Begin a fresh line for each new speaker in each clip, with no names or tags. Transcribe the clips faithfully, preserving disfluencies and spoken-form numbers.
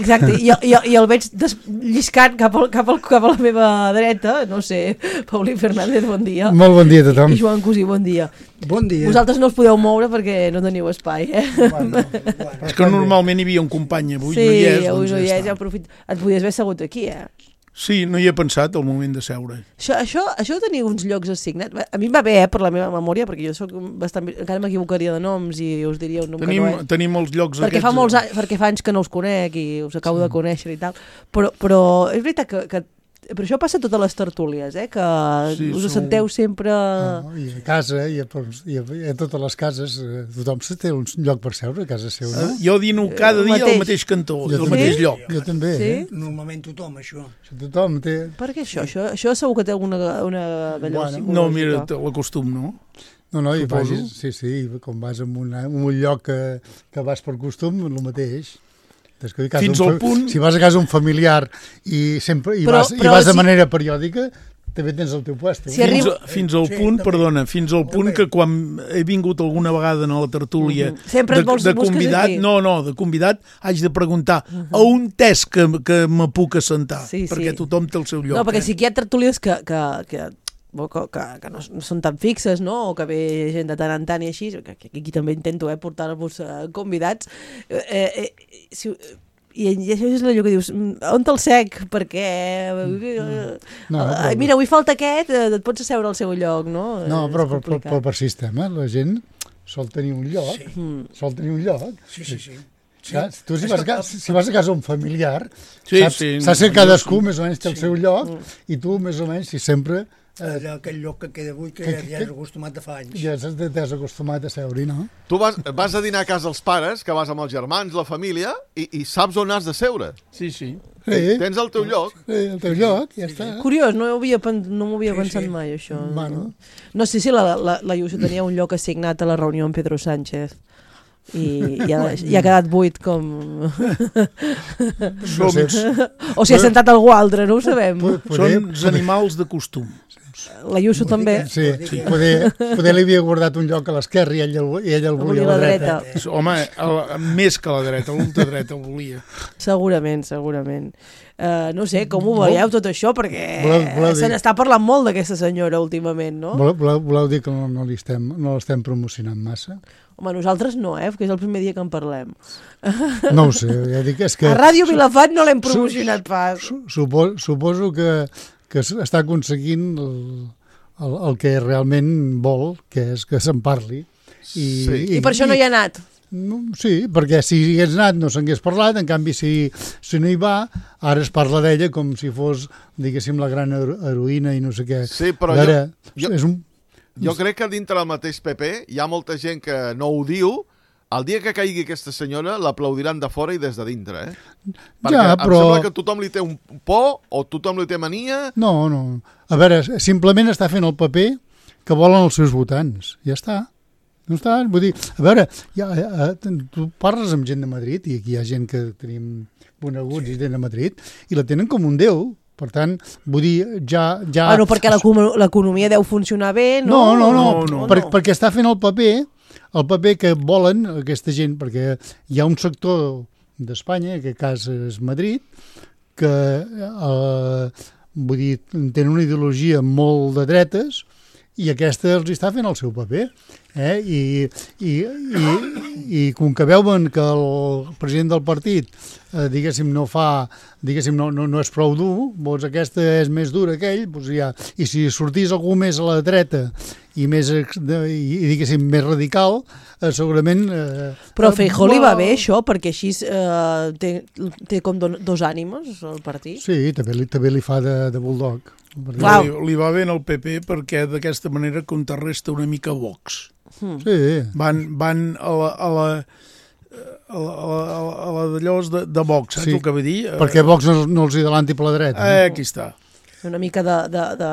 Exacte, i, i, i el veig des, lliscant cap, al, cap, al, cap a la meva dreta, no sé, Paulí Fernández, bon dia.
Molt bon dia a tothom.
I Joan Cosí, bon dia.
Bon dia.
Vosaltres no us podeu moure perquè no teniu espai, eh?
Bueno,
Bueno,
És que normalment hi havia un company, avui
sí,
no hi és.
avui
Doncs
no hi
ja
és, ja
està.
aprofit... Et podies haver assegut aquí, eh?
Sí, no hi he pensat al moment de seure.
Això, això, això de tenir uns llocs assignats, a mi em va bé, eh, per la meva memòria, perquè jo soc bastant... encara m'equivocaria de noms i us diria un nom
Tenim,
que no és.
tenim els llocs
Perquè
aquests...
fa molts anys, perquè fa anys que no us conec i us acabo sí. de conèixer i tal, però, però és veritat que, que però això passa a totes les tertúlies, eh? Que
Sí,
us
sou-
senteu sempre...
No, i a casa, i a, i, a, i a totes les cases, eh, tothom se té un lloc per seure a casa seu, no?
Eh, Jo dino cada
El
dia
mateix.
al mateix cantó,
Jo
al
també.
mateix
Sí?
lloc.
Jo també,
Sí?
eh?
normalment tothom, això.
Això tothom té...
Per què això? Això, això segur que té alguna una d'allò
Bueno,
psicològica.
No, mira, te l'acostum, no?
No, no, i
Suposo.
vagis, sí, sí, com vas en, una, en un lloc que, que vas per costum, el mateix. Des que a casa
Fins
un
al
fa-
punt-
Si vas a casa un familiar i, sempre, i,
Però-
vas,
però
i vas de
si-
manera periòdica, també tens el teu puesto.
Si
Fins,
arriba-
a, fins al
Sí,
punt,
també.
perdona, fins al punt
També.
que quan he vingut alguna vegada a la tertúlia
Mhm. Sempre et
de,
vols-
de
busques
convidat,
aquí.
no, no, de convidat, haig de preguntar a un test que, que me puc assentar,
Sí, sí.
perquè tothom té el seu lloc.
No, perquè
eh?
sí que hi ha tertúlies que, que, que, que, que, que no, no són tan fixes, no? O que ve gent de tant en tant i així, que, que aquí també intento eh, portar-vos eh, convidats. Eh, eh, si, i, I això és allò que dius, "Mm, on te'l sec? Perquè... eh,
No,
eh,
però-
mira, avui falta aquest, eh, et pots asseure al seu lloc, no?
No,
És
però per, per,
complicat.
per, per sistema, la gent sol tenir un lloc,
Sí.
Mm.
sol tenir un lloc.
Sí, sí, sí. sí.
Clar, tu si vas, a casa, si vas a casa un familiar,
Sí,
saps,
sí,
saps
no,
que cadascú
jo sí.
més o menys té el seu lloc i tu més o menys, si sempre eh,
Allà, aquell lloc que queda avui, que,
Que-
ja,
que-
ja és acostumat de fa anys.
ja saps, t'has acostumat a seure, no?
Tu vas, vas a dinar a casa dels pares, que vas amb els germans, la família, i, i saps on has de seure.
Sí, sí.
Sí,
Tens el teu lloc.
sí, el teu lloc, ja està.
Curiós, no, ho havia, pen- no m'ho havia
Sí,
pensat
sí.
mai, això.
Bueno.
No sé si la, la, la Iuso tenia un lloc assignat a la reunió amb Pedro Sánchez i, i, ha, i ha quedat buit com...
Som,
o si ha sentat algú altre, no ho sabem.
Poder,
són els animals de costum.
La Iuso també.
sí, sí, poder, poder li havia guardat un lloc a l'esquerra i ell, el- i ell el volia a la dreta.
Home, el, més que la dreta, l'ultradreta el volia.
Segurament, segurament. Uh, no sé, com ho veieu tot això? Perquè
Voleu- voleu dir-
se n'està parlant molt d'aquesta senyora últimament, no?
Voleu, voleu, voleu dir que no, no li estem, no l'estem promocionant massa?
Home, nosaltres no, eh? Perquè és el primer dia que en parlem.
No ho sé, ja dic, és que...
A Ràdio Vilafant no l'hem promocionat pas.
Su- Supo, suposo que, que s- està aconseguint el, el, el que realment vol, que és que se'n parli. I,
Sí.
I per això no hi ha anat.
No, sí, perquè si hi hagués anat no s'hagués parlat, en canvi si, si no hi va, ara es parla d'ella com si fos, diguéssim, la gran hero- heroïna i no sé què.
Sí, però
A veure,
jo-
és un...
Jo crec que dintre del mateix P P hi ha molta gent que no ho diu. El dia que caigui aquesta senyora l'aplaudiran de fora i des de dintre, eh? Perquè
Ja,
em
però-
sembla que tothom li té un por o tothom li té mania.
No, no. A veure, simplement està fent el paper que volen els seus votants. Ja està. No està, vull dir, a veure, ja, ja, tu parles amb gent de Madrid, i aquí hi ha gent que tenim coneguts i gent de Madrid, i la tenen com un déu. Per tant, vull dir, ja... ja...
Bueno, perquè l'econo- l'economia deu funcionar bé, no?
No, no, no,
No, no.
per, perquè està fent el paper, el paper que volen aquesta gent, perquè hi ha un sector d'Espanya, en aquest cas és Madrid, que eh, vull dir, tenen una ideologia molt de dretes i aquesta els està fent el seu paper. Eh? I, i, i, i com que veuen que el president del partit eh, diguéssim no fa diguéssim no, no, no és prou dur, doncs aquesta és més dura que ell, doncs ja. I si sortís algú més a la dreta i més ex- de, i, i diguéssim més radical, eh, segurament eh,
Però a Feijó li va
eh,
bé això, perquè així eh, té, té com do, dos ànimes el partit.
Sí, també li, també li fa de, de bulldog.
Clar.
Li, li va bé al P P perquè d'aquesta manera contrarresta una mica Vox.
Sí,
Van, van a la... A la a la, a la, a la d'allò de, de Vox, saps
Sí,
el que vull dir?
perquè Vox no, no els hi adelanti per la dreta.
Eh,
No?
aquí està.
Una mica de, de, de,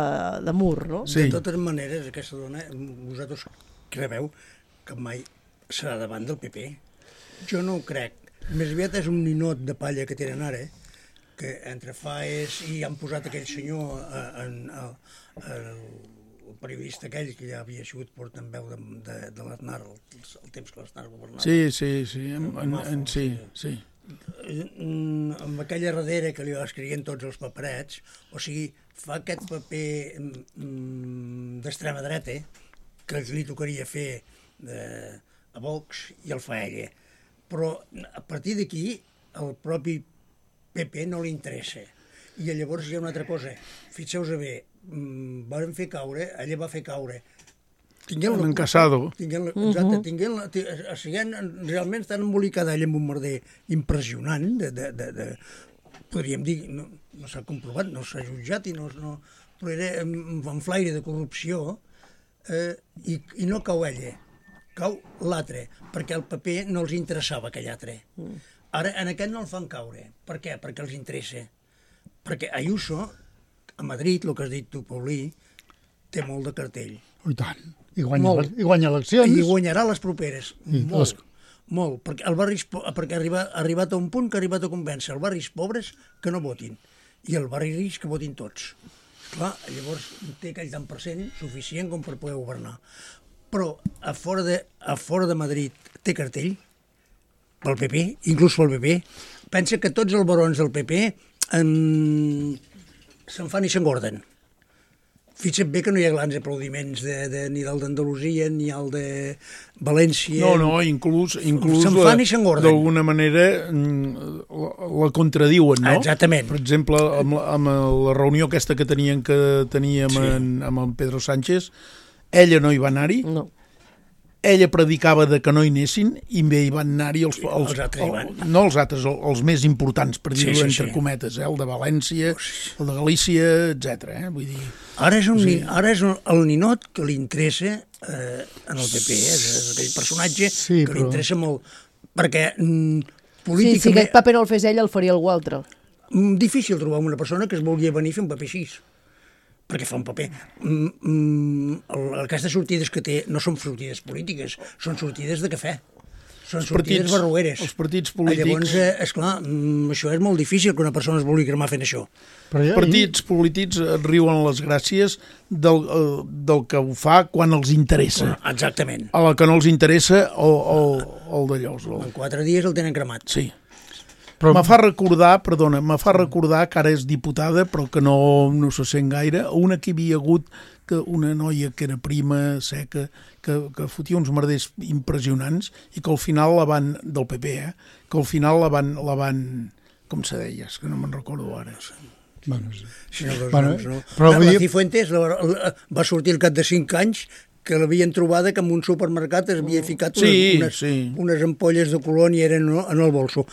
de mur, no?
Sí.
De totes maneres, aquesta dona, vosaltres creveu que mai serà davant del P P? Jo no ho crec. Més aviat és un ninot de palla que tenen ara, que entre faes i han posat aquell senyor eh, en, en, en, el periodista aquell que ja havia sigut portaveu de, de, de l'Aznar el, el temps que l'Aznar governava.
Sí, sí, sí, en, en, en, sí, sí.
amb aquella darrere que li escrivien tots els paperets, o sigui, fa aquest paper mm, d'extrema dreta que li tocaria fer de, a Vox i el fa ella. Però a partir d'aquí el propi P P no li interessa. I llavors hi ha una altra cosa. Fixeu-vos bé, mm, van fer caure, ella va fer caure
tinguent un Casado.
Tinguent, exacte, tinguent, siguent, realment estan embolicada ella amb un merder impressionant, de, de, de, de, podríem dir, no, no s'ha comprovat, no s'ha jutjat, i no, no, però era un flaire de corrupció, eh, i, i no cau ella, cau l'altre, perquè al P P no els interessava aquell altre. Ara, en aquest no el fan caure. Per què? Perquè els interessa. Perquè Ayuso, a Madrid, el que has dit tu, Paulí, té molt de cartell.
I tant. I guanya, i guanya eleccions.
I guanyarà les properes.
I
molt,
les...
molt. Perquè, el barris, perquè ha arribat, ha arribat a un punt que ha arribat a convèncer els barris pobres que no votin. I el barri rics que votin tots. Clar, llavors té aquell tant per cent suficient com per poder governar. Però a fora de, a fora de Madrid té cartell pel P P, inclús pel P P. Pensa que tots els barons del P P en... se'n fan i s'engorden. Fixa't bé que no hi ha grans aplaudiments de, de, ni del d'Andalusia ni el de València.
No, no, inclús, inclús
se'n fan i s'engorden.
D'alguna manera la, la contradiuen, no?
Exactament.
Per exemple, amb, amb la reunió aquesta que tenien que teníem sí. en, amb en Pedro Sánchez, ella no hi va anar-hi.
No.
Ella predicava de que no hi anessin i bé hi van anar-hi els, els,
els altres hi van.
no els altres, els, els més importants, per dir-ho sí, sí, entre sí. cometes, eh? El de València, el de Galícia, etcètera. Eh? Vull dir...
Ara és, un,
sí.
ara és el ninot que li interessa eh, en el P P, eh? És aquell personatge sí, que però... li interessa molt, perquè mm, políticament...
Sí, si aquest paper no el fes ell, el faria algú altre.
Mm, difícil trobar una persona que es vulgui venir a fer un paper així, perquè fa un paper. Mm, mm, aquestes sortides que té no són sortides polítiques, són sortides de cafè. Són els sortides partits, barrueres.
Els partits polítics...
Llavors, eh, esclar, mm, això és molt difícil que una persona es vulgui cremar fent això.
Però ja, els partits i... polítics riuen les gràcies del, del que ho fa quan els interessa.
Bueno, exactament.
A la que no els interessa, o, o, o el d'allò.
En quatre dies el tenen cremat.
Sí. Però me fa recordar, perdona, me fa recordar que ara és diputada, però que no, no se sent gaire, una que hi havia hagut que una noia que era prima, seca, que, que fotia uns merders impressionants i que al final la van, del P P, eh, que al final la van, la van com se deia, és que no me'n recordo ara.
Bueno, sí.
Sí, no, dos
bueno,
noms, no.
Però
la, la
dir...
Cifuentes la, la, va sortir al cap de cinc anys que l'havien trobada que en un supermercat es havia ficat unes,
sí,
unes,
sí.
unes ampolles de colònia eren en el bolso.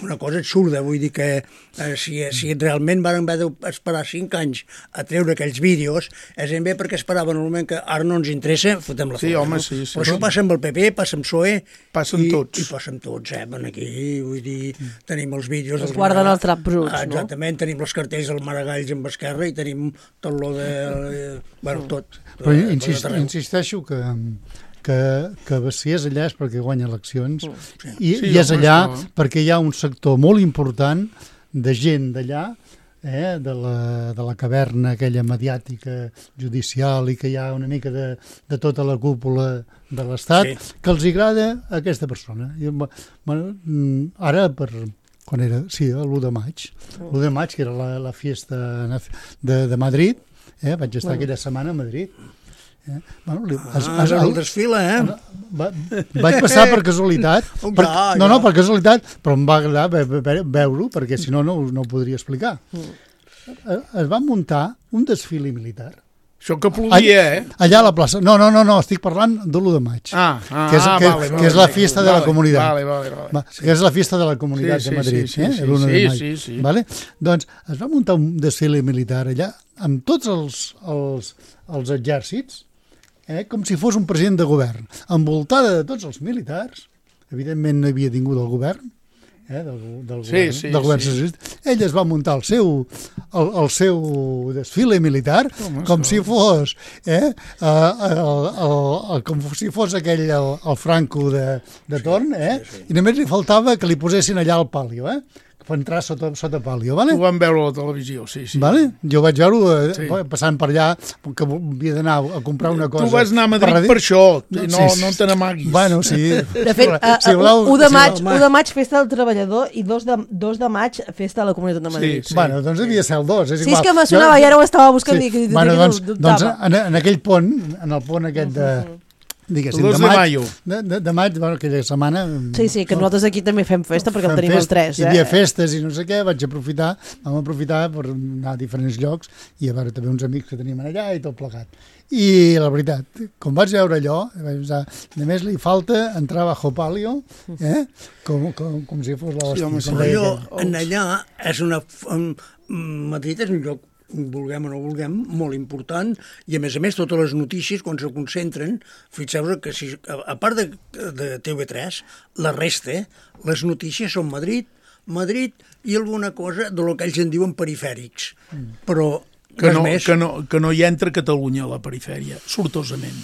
Una cosa absurda, vull dir que eh, si, si realment van haver d'esperar cinc anys a treure aquells vídeos, és ben bé perquè esperaven en el moment que ara no ens interessa, fotem la
sí,
foto.
Home,
no?
sí, sí,
Però això
sí.
passa amb el P P, passa amb P S O E...
Passen
i,
tots.
I passen tots, eh? Van aquí, vull dir, tenim els vídeos...
Es guarden els traps bruts, no?
Exactament, tenim els cartells del Maragalls amb Esquerra i tenim tot lo de... Eh, bueno, tot.
Però eh, insist, insisteixo que... que, que si és allà és perquè guanya eleccions sí. i, sí, i és allà no. perquè hi ha un sector molt important de gent d'allà, eh, de, la, de la caverna aquella mediàtica judicial i que hi ha una mica de, de tota la cúpula de l'Estat, sí. que els agrada aquesta persona. I, bueno, ara per... quan era? Sí, l'u de maig. l'u de maig, que era la, la fiesta de, de Madrid, eh, vaig estar bueno. aquella setmana a Madrid. Eh? Bueno, li,
ah, es, es, el desfila, eh?
Va, vaig passar per casualitat, per, ja, no, no, per casualitat, però em va agradar ve, ve, veure-ho, perquè si no, no, no ho podria explicar. Mm. Es va muntar un desfile militar.
Això que plodia, eh?
Allà a la plaça. No, no, no, no estic parlant de l'u de maig.
Ah, ah,
que és, que,
vale,
que
vale,
és la fiesta
vale,
de la comunitat.
Vale, vale, vale.
Va, sí. Que és la fiesta de la comunitat sí, de Madrid,
sí, sí,
eh?
Sí,
l'u de maig.
Sí, sí, sí.
Vale? Doncs es va muntar un desfile militar allà amb tots els, els, els exèrcits, eh? com si fos un president de govern, envoltada de tots els militars, evidentment no havia tingut el govern, eh? del, del
sí,
govern,
sí,
del govern
sí.
socialista. Ell es va muntar el seu, el, el seu desfile militar com, com si fos eh? el, el, el, el, com si fos aquell el, el Franco de, de torn, eh? Sí, sí. I només li faltava que li posessin allà al palio, eh? per entrar sota, sota pàlio, vale?
Ho vam veure a la televisió, sí, sí.
Vale? Jo vaig veure eh,
Sí.
passant per allà, que havia d'anar a comprar una cosa.
Tu vas anar a Madrid per, per això, no, no, no te n'amaguis.
Bueno, sí.
De fet, uh,
si voleu,
u de
si
maig,
voleu-
u de maig festa del treballador i dos de, dos de maig festa de la Comunitat de Madrid.
Sí.
Bueno, doncs devia ser el dos, és
Sí,
igual.
és que me sonava, i ara ho estava buscant
Sí.
i, i,
Bueno,
i
doncs,
dubtava.
doncs en, en aquell pont, en el pont aquest de... Diguéssim,
El dos
de
de
maig,
maio.
de, de, de maig, bueno, aquella setmana...
Sí, sí, que nosaltres aquí també fem festa perquè el
fem
tenim
fest,
el tres.
Hi havia
Eh?
festes i no sé què, vaig aprofitar, vam aprofitar per anar a diferents llocs i a veure també uns amics que teníem allà i tot plegat. I la veritat, com vaig veure allò, vaig pensar, només li falta entrar bajo palio, eh? com, com, com si fos l'hòstia.
Sí, home,
com
Però
deia
jo,
aquell.
en allà, és una... En, Madrid és un lloc, vulguem o no vulguem, molt important, i a més a més totes les notícies, quan se concentren, fixeu-vos que si, a, a part de, de T V tres, la resta, les notícies són Madrid, Madrid i alguna cosa de lo que ells en diuen perifèrics. Però
Que
res
no,
més.
que, no, que no hi entra Catalunya a la perifèria, sortosament.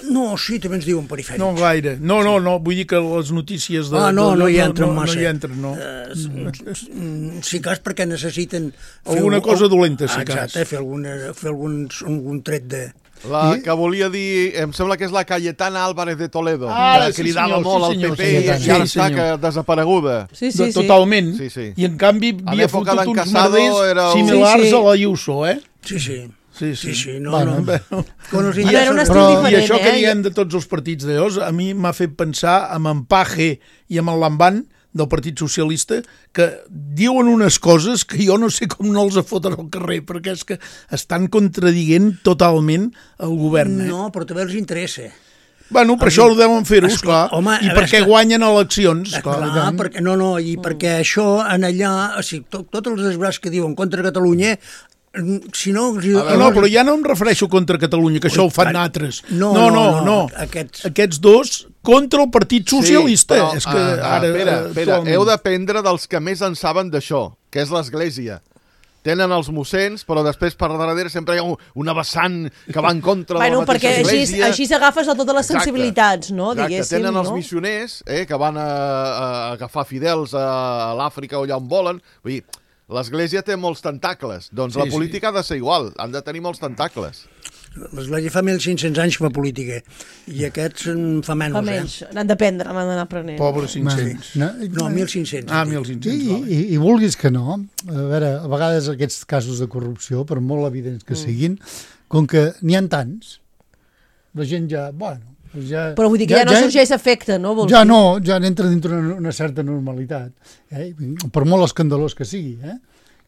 No, sí, també ens diuen perifèrics.
No gaire. No, no, no, vull dir que les notícies de...
Ah, no,
de,
no hi
no,
entren
no,
massa.
No hi entren, no.
Uh, si cas perquè necessiten... fer
Alguna
un-
cosa dolenta, si cas.
Exacte, fer, alguna, fer algun, algun tret de...
La
I-
que volia dir, em sembla que és la Cayetana Álvarez de Toledo,
Ah,
que
sí,
cridava
senyor,
molt
sí,
al
senyor,
P P
sí,
i
sí,
ara
sí,
està
senyor.
que desapareguda.
Sí, sí, sí.
Totalment.
Sí, sí.
I en canvi
A
havia
l'època
fotut
d'en
uns
Casado
merders
era un-
similars
Sí, sí.
a la Ayuso, eh?
Sí, sí.
Sí,
Sí,
sí.
sí, no,
Bueno,
no. Quan els
A veure, un
interessos-
estil
Però-
diferent,
I això que
eh?
diem de tots els partits de llavors, a mi m'ha fet pensar amb en Paje i amb el Lamban del Partit Socialista, que diuen unes coses que jo no sé com no els foten al carrer, perquè és que estan contradient totalment el govern. Eh?
No, però també els interessa.
Bueno, per això ho deuen fer-ho,
Esclar,
esclar.
home,
I
a veure,
perquè
esclar.
guanyen eleccions,
Clar,
esclar.
perquè, no, no, i perquè això en allà, o sigui, tot, tots els desbrats que diuen contra Catalunya, mm, si no... Si,
No, no, però ja no em refereixo contra Catalunya, que això ho fan
clar,
altres.
no,
no,
no,
no,
no,
no.
aquests-
Aquests dos contra el Partit Socialista.
Sí, però,
és que
ah,
ara...
espera,
eh,
espera,
actualment-
heu d'aprendre dels que més en saben d'això, que és l'Església. Tenen els mossens, però després per darrere sempre hi ha un, una vessant que va en contra
Bueno,
de la mateixa
perquè així,
Església.
així s'agafes a totes les
Exacte.
sensibilitats, no?
Exacte.
Diguéssim,
Tenen els
no?
missioners eh, que van a, a agafar fidels a, a l'Àfrica o allà on volen. Vull dir, l'Església té molts tentacles. Doncs
Sí,
la política ha de ser igual, han de tenir molts tentacles.
L'Església fa mil cinc-cents anys que fa política, i aquests en fa menys,
Fa menys. N'han d'aprendre, n'han d'anar aprenent.
Pobre cinc-cents.
No,
eh? No, mil cinc-cents.
Ah,
I,
mil cinc-cents,
i,
vale.
i, I vulguis que no, a veure, a vegades aquests casos de corrupció, per molt evidents que siguin, com que n'hi ha tants, la gent ja, bueno... Ja,
Però vull dir que ja, ja no sorgeix efecte, no? Vols
Ja
dir?
no, ja n'entra dintre una, una certa normalitat, eh? Per molt escandalós que sigui, eh?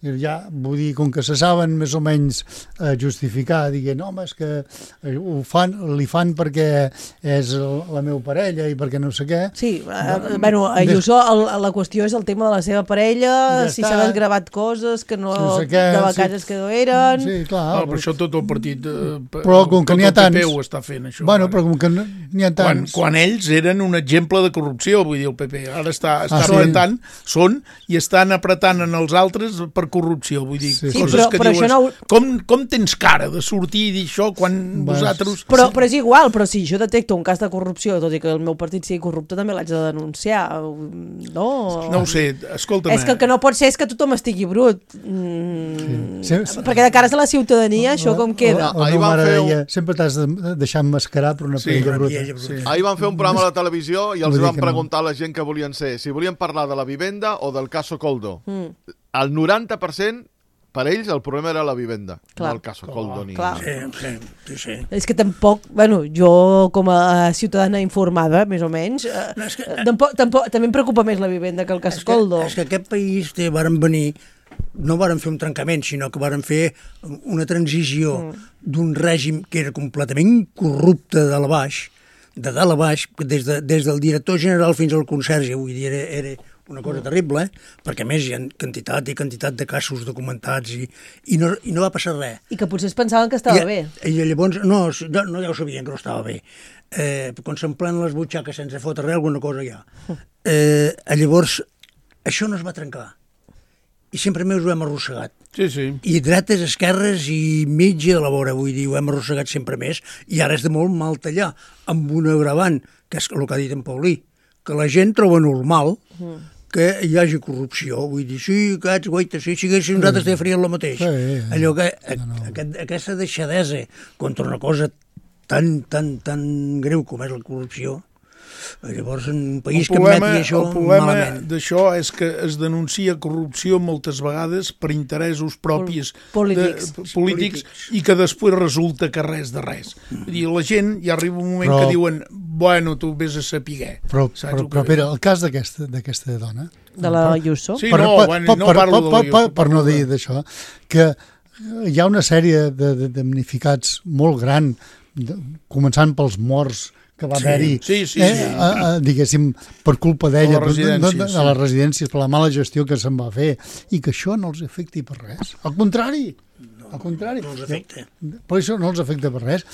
I ja, vull dir, com que se saben més o menys eh, justificar, dient, no, home, és que eh, ho fan, li fan perquè és el, la meva parella i perquè no sé què.
Sí, eh, bueno, a Ayuso el, la qüestió és el tema de la seva parella,
Ja
si
està.
s'ha desgravat coses que no,
No sé què,
de vacances
sí.
que no eren...
Sí, clar.
Ah, per això tot el partit... Eh,
Però com que
tot
n'hi ha
el P P
tants-
ho està fent, això.
Bueno,
ara.
però com que no- n'hi ha
quan,
tants...
quan ells eren un exemple de corrupció, vull dir, el P P. Ara està, està
Ah, sí?
apretant, són, i estan apretant en els altres per corrupció, vull dir,
Sí.
Sí,
coses
però-
que
però
dius,
això no-
com, com tens cara de sortir i dir això quan
Bueno,
vosaltres...
Però, però és igual, però si jo detecto un cas de corrupció, tot i que el meu partit sigui corrupte, també l'haig de denunciar, no?
No ho sé, escolta'm...
És que el que no pot ser és que tothom estigui brut. Mm,
Sí, sí.
Perquè de cares a la ciutadania, això com queda?
La, la
Ahir
meva
van
mare
fer un-
deia, sempre t'has de deixar emmascarar per una
Sí,
parella bruta.
parella bruta.
Sí.
Ahir van fer un programa a la televisió i els
Vull dir
van
que no.
preguntar a la gent que volien ser, si volien parlar de la vivenda o del caso Coldo.
Mm.
El noranta per cent, per ells, el problema era la vivenda,
Clar.
no el caso Coldo. Ni...
Clar.
Sí, sí, sí, sí.
És que tampoc, bueno, jo com a ciutadana informada, més o menys, eh,
No, és que-
tampoc, tampoc, també em preocupa més la vivenda que el cas
És que,
Coldo.
és que aquest país té, varen venir, no varen fer un trencament, sinó que varen fer una transició mm. d'un règim que era completament corrupte de dalt a baix, de dalt a baix, des, de, des del director general fins al conserge, vull dir, era, era una cosa terrible, eh? Perquè a més hi ha quantitat i quantitat de casos documentats i, i, no, i no va passar res.
I que potser es pensaven que estava
I,
bé.
I llavors, no, no, no ja ho sabien que no estava bé. Eh, quan s'emplen les butxaques sense fotre res, alguna cosa hi ha. Eh, llavors, això no es va trencar. I sempre més ho hem arrossegat.
Sí, sí.
I dretes, esquerres i mitja de la vora, vull dir, ho hem arrossegat sempre més, i ara és de molt mal tallar, amb un agravant, que és el que ha dit en Paulí, que la gent troba normal que hi hagi corrupció. Vull dir, sí, aquests, guaita, sí, si haguéssim nosaltres te farien el mateix.
Sí,
Allò que,
no, no.
aquest, aquesta deixadesa contra una cosa tan, tan, tan greu com és la corrupció, llavors en un país
el
que
problema,
admeti això
el problema
malament.
d'això és que es denuncia corrupció moltes vegades per interessos propis
Polítics.
de, polítics i que després resulta que res de res. Vull dir, la gent ja arriba un moment
Però-
que diuen bueno, tu vés a sapiguer.
Però,
Saps
però,
el que
però
vull
Pere, el cas d'aquesta d'aquesta dona...
De la Ayuso.
Sí,
per,
no,
per,
bueno,
per,
no
per,
parlo
per,
de la
per,
Ayuso,
per no
parlo de-
dir d'això, que hi ha una sèrie de, de damnificats molt gran, de, començant pels morts que va
Sí,
haver-hi,
sí, sí,
eh,
sí.
a, a, diguéssim, per culpa d'ella,
A les
de, de, de,
residències,
de les residències, per la mala gestió que se'n va fer, i que això no els afecti per res. Al contrari, al contrari.
No els afecta.
Per això no els afecta per res.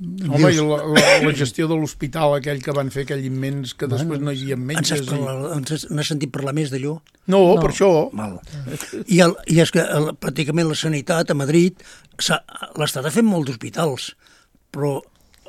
Home, i la, la, la gestió de l'hospital aquell que van fer, aquell immens, que després no hi havia
Ens
metges.
has, parlat, ens has, n'has sentit parlar més d'allò?
No,
No.
per això.
Mal. I, el, I és que el, pràcticament la sanitat a Madrid, s'ha- l'Estat ha fet molts hospitals, però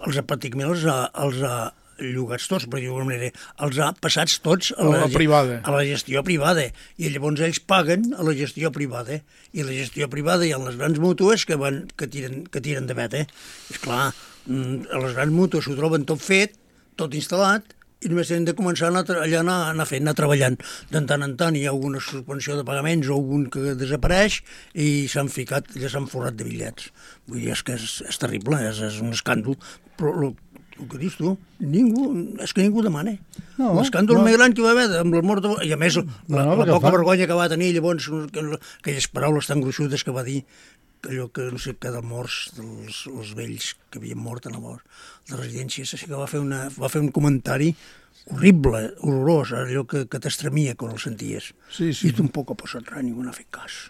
els ha pràcticament els ha, els ha llogats tots, per dir-ho d'alguna manera, els ha passats tots a la,
A la privada.
a la gestió privada, i llavors ells paguen a la gestió privada, i a la gestió privada hi ha les grans mútues que, van, que, tiren, que tiren de vet, eh? És clar, mm, a les grans mútues s'ho troben tot fet, tot instal·lat, i només tenen de començar a anar, tra- allà anar, anar fent, anar treballant. De tant en tant hi ha alguna suspensió de pagaments o algun que desapareix i s'han ficat, ja s'han forrat de bitllets. Vull dir, és que és, és terrible, és, és un escàndol, però el, el que dius tu, ningú, és que ningú demana.
No,
L'escàndol
no.
més gran que hi va haver, amb la mort de... I a més, la,
No,
la
perquè
poca
fa-
vergonya que va tenir llavors, que- aquelles paraules tan gruixudes que va dir, allò que no sé què dels morts, dels els vells que havien mort en la mort de residències, així que va fer, una, va fer un comentari horrible, horrorós, allò que, que t'estremia quan el senties.
Sí, sí.
I tampoc ha passat res, ningú n'ha fet cas.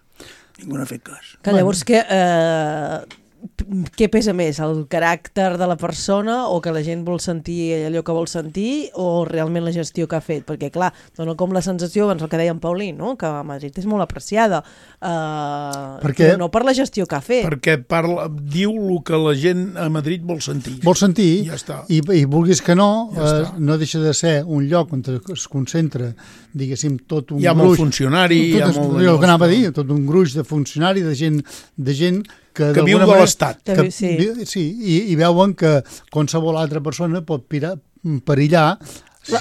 Ningú n'ha fet cas.
Que llavors què, eh, què pesa més, el caràcter de la persona o que la gent vol sentir allò que vol sentir o realment la gestió que ha fet? Perquè clar, dona com la sensació, abans el que deia en Paulí, no? Que a Madrid és molt apreciada, eh,
Perquè-
però no per la gestió que ha fet.
Perquè parla, diu el que la gent a Madrid vol sentir.
Vol sentir,
Ja està.
i, i vulguis que no,
Ja
eh,
està.
no deixa de ser un lloc on es concentra, diguéssim, tot un
Hi ha
gruix...
molt funcionari, hi ha
tot,
molt
el que anava a
d'allò,
dir, tot un gruix de funcionari, de gent, de gent que,
Que viu
d'alguna
de
manera-
l'Estat.
Que
que
viu- sí.
vi- sí, i, i veuen que qualsevol altra persona pot pirar, perillar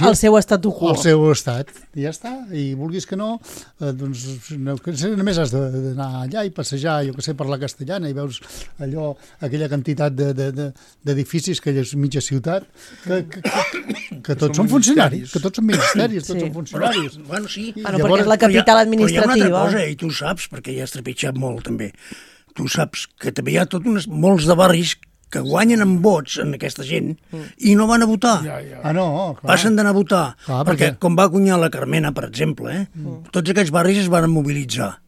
El seu statu quo.
el seu estat. I ja està. I vulguis que no, eh, doncs no, que només has de- d'anar allà i passejar, jo que sé, per la Castellana i veus allò, aquella quantitat de- de- de- d'edificis, de, aquella mitja ciutat, que, que, que, que tots són funcionaris, que tots són ministeris, tots
Sí.
són funcionaris.
Bueno, sí.
Bueno,
Llavors-
perquè és la capital
Però hi ha- Però hi ha
administrativa.
una altra cosa, i tu saps, perquè ja has trepitjat molt també, tu saps que també hi ha tot unes, molts de barris que guanyen amb vots en aquesta gent i no van a votar.
Ja, ja.
Ah, no, clar.
Passen d'anar a votar.
Clar,
perquè,
perquè-
com va guanyar la Carmena, per exemple, eh? Mm. tots aquests barris es van mobilitzar.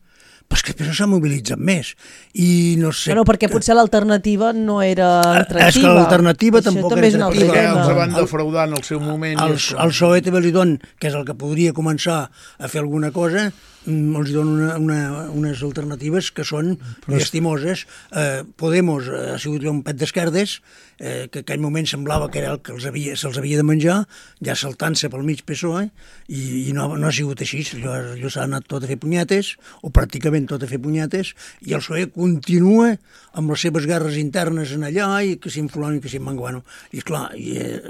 Però és que després no s'ha mobilitzat més. I no sé...
Bueno, perquè potser l'alternativa no era atractiva.
És que l'alternativa
Això
tampoc
també
era
és un altre
atractiva.
Perquè els
tema.
van defraudar en el seu moment. i
El,
és
el P S O E també li don, que és el que podria començar a fer alguna cosa, mm, els donen una, una, unes alternatives que són llastimoses. Eh, Podemos eh, ha sigut un pet d'esquerdes, eh, que en aquell moment semblava que era el que els havia, se'ls havia de menjar, ja saltant-se pel mig P S O E, i, i no, no ha sigut així. Allò, allò s'ha anat tot a fer punyetes, o pràcticament tot a fer punyetes, i el P S O E continua amb les seves guerres internes en allà, i que si en fulano i que si en manguano. I esclar, i, eh,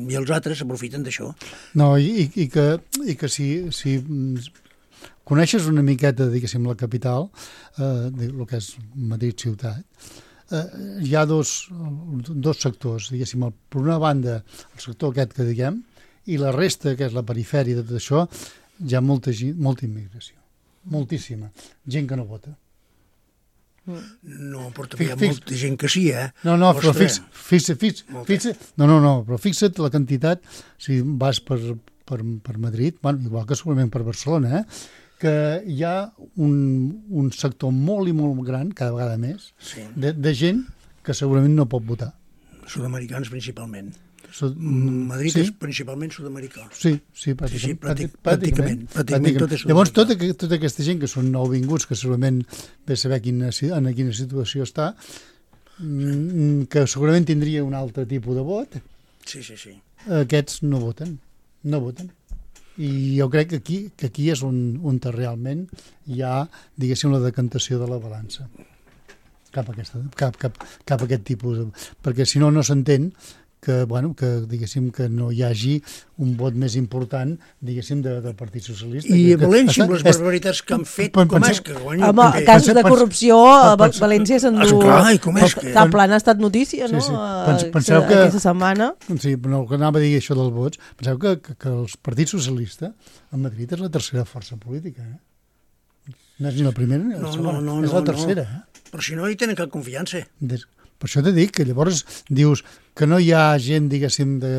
i els altres s'aprofiten d'això.
No, i, i, que, i que si, si mm, coneixes una miqueta, diguéssim, la capital, eh, el que és Madrid ciutat, eh, hi ha dos, dos sectors, diguéssim, el, per una banda el sector aquest que diguem, i la resta, que és la perifèria de tot això, hi ha molta, gent- molta immigració, moltíssima, gent que no vota.
No, però també hi ha
Fix-
molta gent que sí, eh?
No, no, però
Ostres.
fix, fix, fix,
Molta.
fix, no, no, no, però fixa't la quantitat, si vas per, per, per Madrid, bueno, igual que segurament per Barcelona, eh, que hi ha un, un sector molt i molt gran, cada vegada més,
Sí.
de, de gent que segurament no pot votar.
Sud-americans principalment.
So,
Madrid
sí?
és principalment sud-americà.
Sí, sí, pràcticament.
Sí, sí, pràctic-
pràcticament,
pràcticament, pràcticament tot és
Llavors,
sud-americà.
tota, que- tota aquesta gent que són nouvinguts, que segurament ve a saber quina, si- en quina situació està, mm, que segurament tindria un altre tipus de vot,
Sí, sí, sí.
aquests no voten, no voten. I jo crec que aquí, que aquí és on, on realment hi ha, diguéssim, la decantació de la balança cap a, aquesta, cap, cap, cap a aquest tipus de... perquè si no, no s'entén que, bueno, que, diguéssim, que no hi hagi un vot més important, diguéssim, de, del Partit Socialista.
I
que,
a València, amb les barbaritats que han fet, com
penseu,
és que guanya
Home,
el P P?
casos de corrupció, a
penseu,
València s'endú...
Esclar, i com és que...
Cap plan ha estat notícia, no?
Sí, sí.
Eh,
Pens, penseu que,
aquesta setmana.
Sí, no, que anava a dir això dels vots. Penseu que, que, que el Partit Socialista a Madrid és la tercera força política, eh? No és ni la primera ni la
No,
segona,
no, no,
és
no,
la tercera,
no.
eh?
Però si no hi tenen cap confiança.
Des... Per això t'he dit que llavors dius que no hi ha gent, diguéssim, de,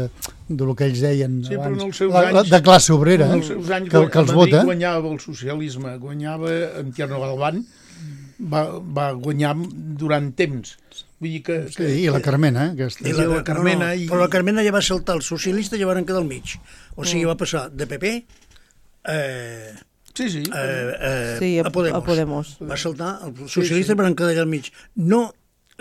de lo que ells deien
Sí, però
abans,
en els seus
la, la,
anys-
de classe obrera,
En els seus anys
que, que els
a Madrid
vota.
guanyava el socialisme, guanyava en Tierno Galván, va, va guanyar durant temps. Vull dir que...
Sí,
que
i la Carmena, eh, aquesta.
I la, la Carmena...
no, no,
i...
Però la Carmena ja va saltar el socialista i ja van quedar al mig. O sigui, va passar de P P eh,
Sí, sí.
eh, eh,
Sí, a,
a Podemos.
a Podemos.
Va saltar, els socialistes sí, sí. van quedar allà al mig. No,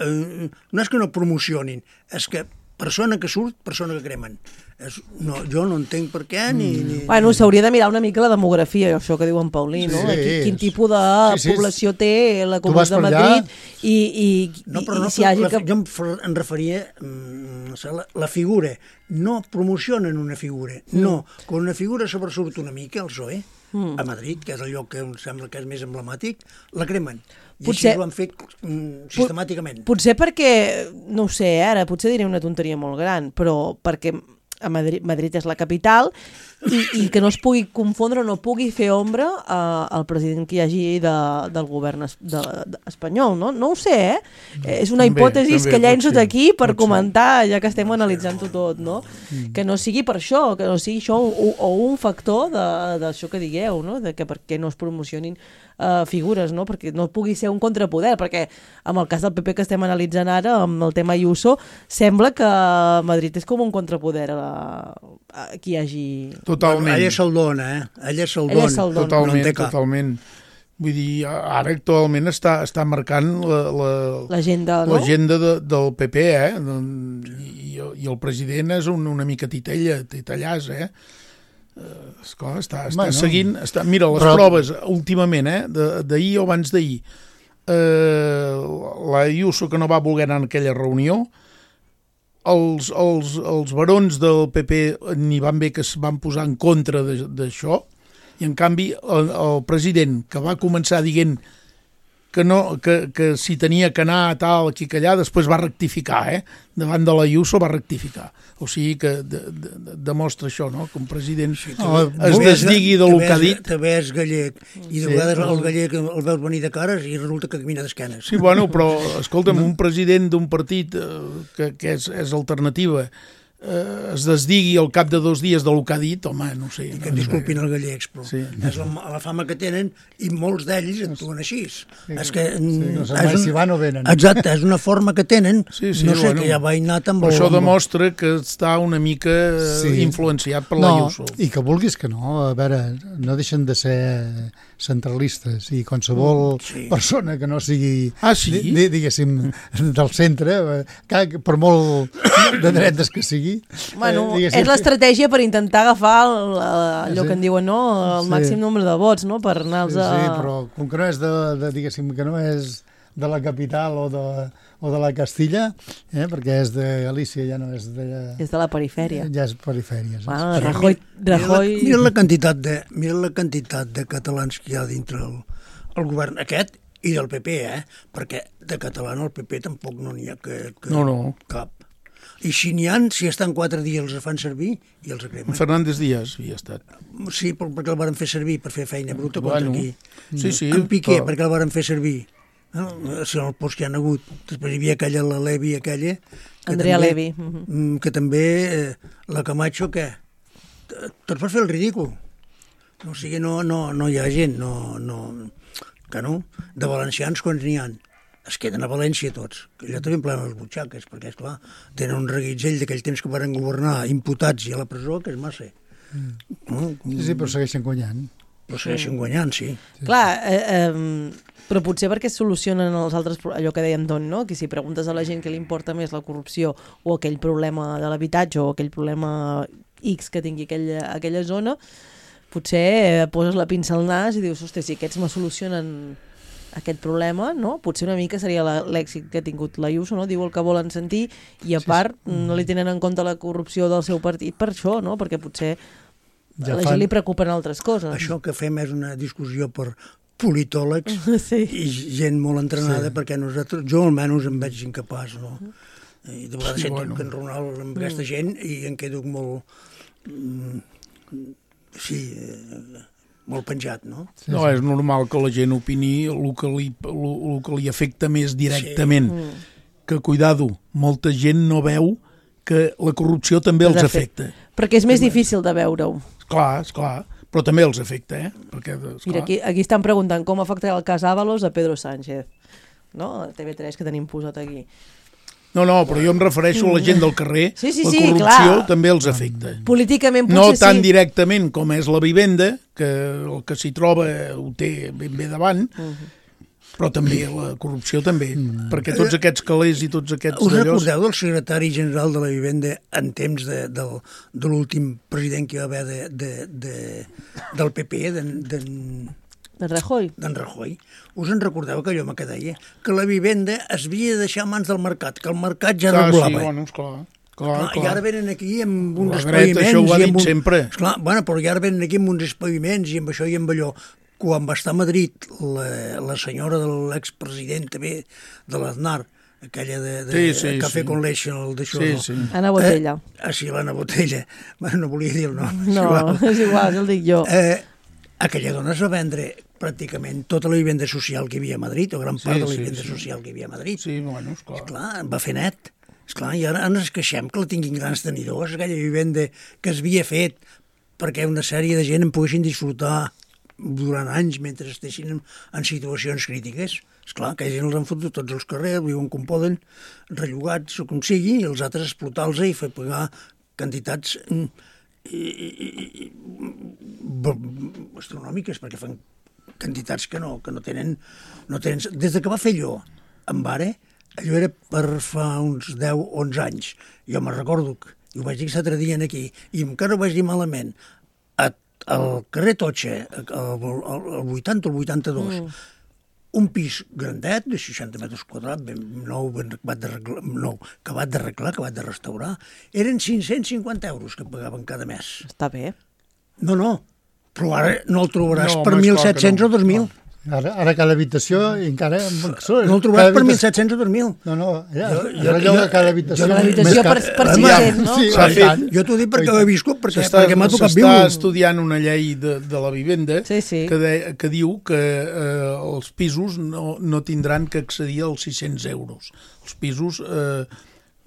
eh, no és que no promocionin, és que persona que surt, persona que cremen. És, no, jo no entenc per què ni... ni
Bueno, s'hauria de mirar una mica la demografia, això que diu en Paulí, no?
Sí,
Quin, quin
és-
tipus de
sí, sí,
població té la
Tu vas
Comunitat de
per allà-
Madrid i, i,
No, però
i
no,
si hi hagi
la,
que...
jo em, fer- em referia mm, la, la figura. No promocionen una figura. No, quan una figura sobresurt una mica, el P S O E, mm. a Madrid, que és el lloc que em sembla que és més emblemàtic, la cremen. I
Potser-
així ho han fet mm, sistemàticament.
Potser perquè, no ho sé, ara, potser diré una tonteria molt gran, però perquè a Madrid, Madrid és la capital i, i que no es pugui confondre o no pugui fer ombra eh, al president que hi hagi de, del govern es, de, de, espanyol, no? No ho sé, eh? És una
També,
hipòtesi
també
que llenço
pot ser,
d'aquí per
pot ser.
comentar, ja que estem analitzant-ho tot, no? Que no sigui per això, que no sigui això o, o un factor de- d'això que digueu, no? De que per què no es promocionin Uh, figures, no? Perquè no pugui ser un contrapoder, perquè amb el cas del P P que estem analitzant ara, amb el tema Ayuso, sembla que Madrid és com un contrapoder a, a qui hi hagi...
Totalment.
Ella se'l dona, eh? Ella se'l
Ella
dona.
se'l dona.
Totalment,
No en té cap.
totalment. Vull dir, ara actualment està, està marcant la, la,
L'agenda, no?
l'agenda de, del P P, eh? I, i el president és un, una mica titella, titellàs, eh? Uh, esclar, està, està
Bueno.
seguint... Està, mira, les
Però-
proves últimament, eh? de- d'ahir o abans d'ahir, eh, la Ayuso que no va voler anar en aquella reunió, els, els, els barons del P P n'hi van bé que es van posar en contra de- d'això, i en canvi el, el president, que va començar dient que, no, que, que si tenia que anar a tal, aquí que allà, després va rectificar, eh? Davant de la Ayuso va rectificar. O sigui que de, de, de, demostra això, no? Que un president sí,
No,
es
També és-
desdigui del que ha
també és-
dit.
També és gallec, i de
Sí.
vegades el gallec el veus venir de cares i resulta que camina d'esquenes.
Sí, bueno, però, escolta'm, un president d'un partit eh, que, que és, és alternativa eh, es desdigui al cap de dos dies del que ha dit, home, no sé.
I que em disculpin els gallecs, però
Sí.
és la, la fama que tenen i molts d'ells actuen així. És que...
Sí, no sé mai
és un-
si van o venen.
Exacte, és una forma que tenen,
Sí, sí,
no sé,
bueno,
que ja va innat amb
Però
el...
això
amb el-
demostra que està una mica eh,
Sí.
influenciat per
No,
l'Ayuso.
i que vulguis que no, a veure, no deixen de ser centralistes i qualsevol
Sí.
persona que no sigui,
Ah, sí?
di, di- diguéssim, del centre, eh, que, per molt de dretes que sigui...
Bueno,
eh, diguéssim,
és l'estratègia per intentar agafar el, allò
Sí.
que en diuen, no? El
Sí.
màxim nombre de vots, no? Per anar-los
Sí,
a...
sí, però com que no és de, de, diguéssim, que no és de la capital o de, o de la Castilla, eh, perquè és de Galícia, ja no és de...
És de la perifèria.
Ja és perifèria. saps?
Bueno, Rajoy...
Mira la,
Rajoy...
mira la quantitat de, mira la quantitat de catalans que hi ha dintre el, el govern aquest i del P P, eh? Perquè de català al P P tampoc no n'hi ha que, que
No, no.
cap. I si n'hi ha, si estan quatre dies els fan servir i els cremen.
Fernández Díaz havia estat.
Sí, però perquè el varen fer servir per fer feina bruta contra
Bueno,
aquí.
sí, sí,
En Piqué,
però-
perquè el varen fer servir. No? Si el post que hi ha hagut. Després hi havia aquella, la Levi, aquella... que
Andrea
també-
Levy. Mhm.
mm, que també eh, la Camacho, què? Tots per fer el ridícul. No, o sigui, no, no, no hi ha gent, no, no, que no. De valencians, quants n'hi ha? Es queden a València tots, que allà també emplen les butxaques, perquè, esclar, tenen un reguitzell d'aquell temps que van governar imputats i a la presó, que és massa. Mm. No?
Sí, sí, però segueixen guanyant.
Però segueixen guanyant, sí.
Clar, eh, eh, però potser perquè es solucionen els altres, pro- allò que deia Anton, no? Que si preguntes a la gent que li importa més la corrupció o aquell problema de l'habitatge o aquell problema X que tingui aquella, aquella zona, potser poses la pinça al nas i dius, ostres, si aquests me solucionen aquest problema, no? Potser una mica seria l'èxit que ha tingut l'Ayuso, no? Diu el que volen sentir i a part sí, sí. no li tenen en compte la corrupció del seu partit per això, no? Perquè potser ja a la fan... gent li preocupen altres coses.
Això que fem és una discussió per politòlegs sí. i gent molt entrenada sí. perquè nosaltres, jo almenys em veig incapaç, no? I de vegades sí, sento bueno. que enronal amb aquesta gent i em quedo molt... sí... molt penjat, no?
Sí, no, sí. És normal que la gent opini el que li, el, el que li afecta més directament. Sí. Mm. Que, cuidado, molta gent no veu que la corrupció també els afecta.
Perquè és més difícil de veure-ho.
Esclar, esclar, però també els afecta, eh? Perquè,
mira, aquí, aquí estan preguntant com afectarà el cas Ábalos a Pedro Sánchez, no? A T V tres que tenim posat aquí.
No, no, però jo em refereixo a la gent del carrer.
Sí, sí,
la
sí,
corrupció
clar.
també els afecta.
Políticament potser
no tan
sí.
directament com és la vivenda, que el que s'hi troba ho té ben bé davant, uh-huh. però també la corrupció també, uh-huh. perquè tots aquests calés i tots aquests...
Us recordeu del secretari general de la vivenda en temps de, de, de l'últim president que hi va haver de, de, de, del P P, d'en... De,
d'en Rajoy.
D'en Rajoy. Us en recordeu que allò que deia? Que la vivenda es havia de deixar a mans del mercat, que el mercat ja
clar,
regulava.
Sí, bueno, esclar. Clar,
clar,
clar.
I ara venen aquí amb uns
espaviments... Això ho ha dit
un...
sempre.
Esclar, bueno, però i ara venen aquí amb uns espaviments i amb això i amb allò. Quan va estar a Madrid la, la senyora de l'expresident també de l'Aznar, aquella de, de
sí, sí,
Café
sí.
con Leche, el d'això.
Sí, sí. Ana Botella.
Eh, ah, sí, l'Anna Botella. Bueno, no volia dir el nom.
No, és igual, el dic jo.
Eh, aquella dona es va vendre pràcticament tota la vivenda social que hi havia a Madrid, o gran part sí, de la vivenda sí, sí. social que hi havia a Madrid.
Sí, bueno, esclar.
Esclar, va fer net. Esclar, i ara ens queixem que la tinguin grans tenidors, aquella vivenda que es havia fet perquè una sèrie de gent en poguessin disfrutar durant anys mentre estiguessin en, en situacions crítiques. Esclar, aquella gent els han fotut tots els carrers, viuen com poden, rellogats o com sigui, i els altres explotar-los i fer pagar quantitats... I, i, i, astronòmiques, perquè fan quantitats que no, que no tenen, no tenen... Des de que va fer allò amb Bare, allò era per fa uns deu o onze anys. Jo me'n recordo, i ho vaig dir l'altre dia aquí, i encara ho vaig dir malament, a, al carrer Totxe, al vuitanta o el vuitanta-dos, mm. un pis grandet, de seixanta metres quadrats, ben nou, ben acabat d'arreglar, nou, acabat d'arreglar, acabat de restaurar, eren cinc-cents cinquanta euros que pagaven cada mes.
Està bé.
No, no, però ara no el trobaràs
no,
per mil set-cents no. o dos mil. No.
Ara, ara cada habitació encara...
No el trobaràs per mil set-cents o dos mil.
No, no, ja, jo, jo, jo, cada habitació...
Cada habitació per, per sis-cents, no?
Sí,
sí, sí. Jo t'ho dic perquè ho he viscut, perquè, perquè m'ha tocat viure.
S'està estudiant una llei de, de la vivenda
sí, sí.
Que, de, que diu que eh, els pisos no, no tindran que accedir als sis-cents euros. Els pisos eh,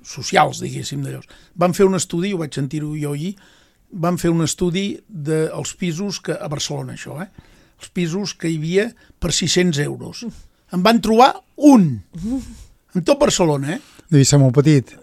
socials, diguéssim, d'allò. Van fer un estudi, ho vaig sentir-ho jo ahir, van fer un estudi dels pisos que, a Barcelona, això, eh? Els pisos que hi havia per sis-cents euros. En van trobar un. En tot Barcelona, eh?
Devia ser molt petit.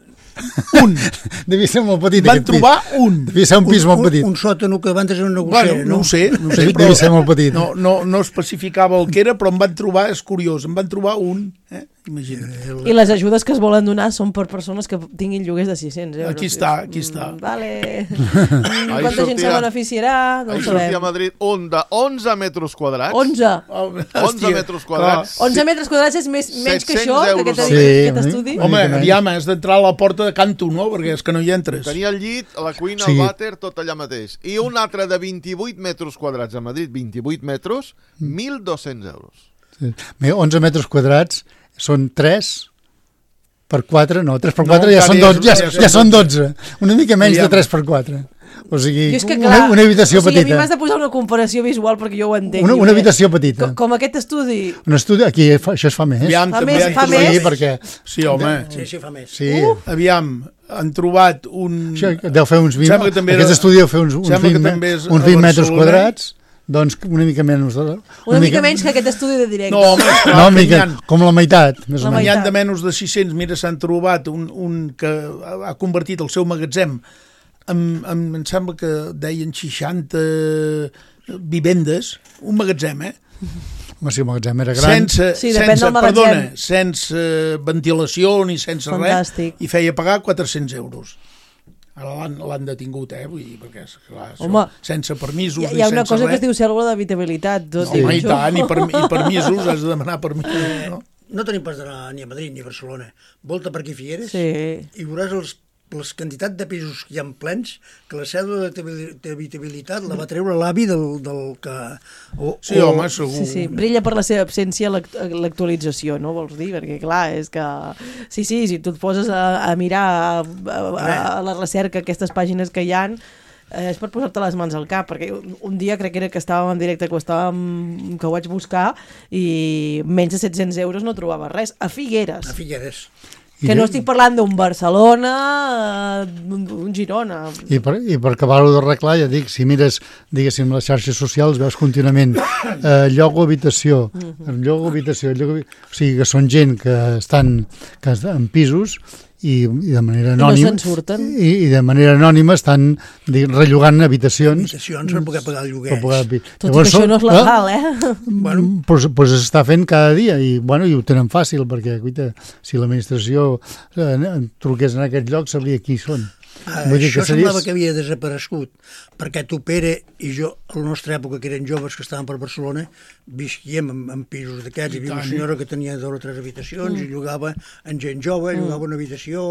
Un.
Devia ser molt petit.
Van trobar un.
Devia ser un pis molt petit.
Un, un sòtano que van tenir una negociera,
bueno, no? No ho sé, no ho sé,
però devia ser molt petit.
No, no, no especificava el que era, però en van trobar, és curiós, en van trobar un, eh? Imagina't.
I les ajudes que es volen donar són per persones que tinguin lloguers de sis-cents euros.
Aquí està, aquí està.
Mm, vale. Quanta sortia, gent se beneficiarà? No ho sabem.
Sortia a Madrid un de onze metres quadrats.
onze.
Oh,
onze metres quadrats.
Clar. onze metres quadrats és més, menys que això, que aquest,
sí,
aquest estudi?
Home, aviam, has d'entrar a la porta de Canto, no? Perquè és que no hi entres.
Tenia el llit, la cuina, sí. El vàter, tot allà mateix. I un altre de vint-i-vuit metres quadrats a Madrid, vint-i-vuit metres, mil dos-cents euros.
Sí. onze metres quadrats són tres per quatre, no, tres per quatre no, ja, són dotze, ja, ja, ja són dotze. Una mica menys de tres per quatre. O sigui,
és que,
clar, una, una habitació
o sigui,
petita.
A mi m'has de posar una comparació visual perquè jo ho entenc.
Una, una habitació petita.
Com, com aquest estudi.
Un estudi, aquí fa, això es fa més.
Aviam,
fa
també
més, fa més?
Sí, perquè...
Sí, home.
Sí, sí, fa més.
Sí.
Uh.
Aviam, han trobat un...
Això deu fer uns vint... Aquest era... estudi deu fer uns, uns vint, uns vint metres quadrats, doncs una mica menys. Una,
una mica, mica menys que aquest estudi de directe.
No, home, clar,
no mica, com la meitat. Més
la
o menys.
N'hi ha de menys de sis-cents. Mira, s'han trobat un, un que ha convertit el seu magatzem en, en, em sembla que deien seixanta vivendes, un magatzem, eh?
Home, si el magatzem era gran.
Sense,
sí,
sense, perdona, sense ventilació ni sense
fantàstic.
Res, i feia pagar quatre-cents euros. Ara l'han detingut, eh? Vull dir, perquè, clar,
Home,
sense permisos
hi ha, hi ha una cosa
res.
que es diu cèl·lula d'habitabilitat.
No, home, i tant, i, per, i permisos, has de demanar permisos, no?
No tenim pas d'anar ni a Madrid ni a Barcelona. Volta per aquí Figueres
sí.
i veuràs els, les quantitats de pisos que hi ha plens que la cèdula d'habitabilitat la va treure l'avi del, del que... O,
sí,
o...
home, segur.
Sí, sí, brilla per la seva absència l'actualització, no vols dir? Perquè, clar, és que... Sí, sí, si tu et poses a, a mirar a, a, a la recerca aquestes pàgines que hi ha, eh, és per posar-te les mans al cap, perquè un, un dia crec que era que estàvem en directe, que ho, estàvem, que ho vaig buscar, i menys de set-cents euros no trobava res. A Figueres.
A Figueres.
Que no estic parlant d'un Barcelona, d'un, d'un Girona.
I per, i per acabar-ho d'arreglar, ja dic, si mires, diguéssim, les xarxes socials, veus contínuament eh, lloc o habitació, uh-huh. lloc o habitació, lloc o... o sigui que són gent que estan, que estan en pisos i, i de manera anònima
no se'n surten.
I, i de manera anònima estan dic, rellogant habitacions
habitacions per poder pagar el lloguer.
Pagar...
Tot Llavors, i que això no és legal, eh?
Bueno, pues, pues s'està fent cada dia i, bueno, i ho tenen fàcil perquè guita, si l'administració eh, truqués en aquest lloc sabria qui són.
Ah, això que semblava que havia desaparegut perquè tu, Pere, i jo a la nostra època, que eren joves que estaven per Barcelona, visquíem en, en pisos d'aquests. Hi havia una senyora que tenia dues o tres habitacions mm. i llogava en gent jove, mm. llogava una habitació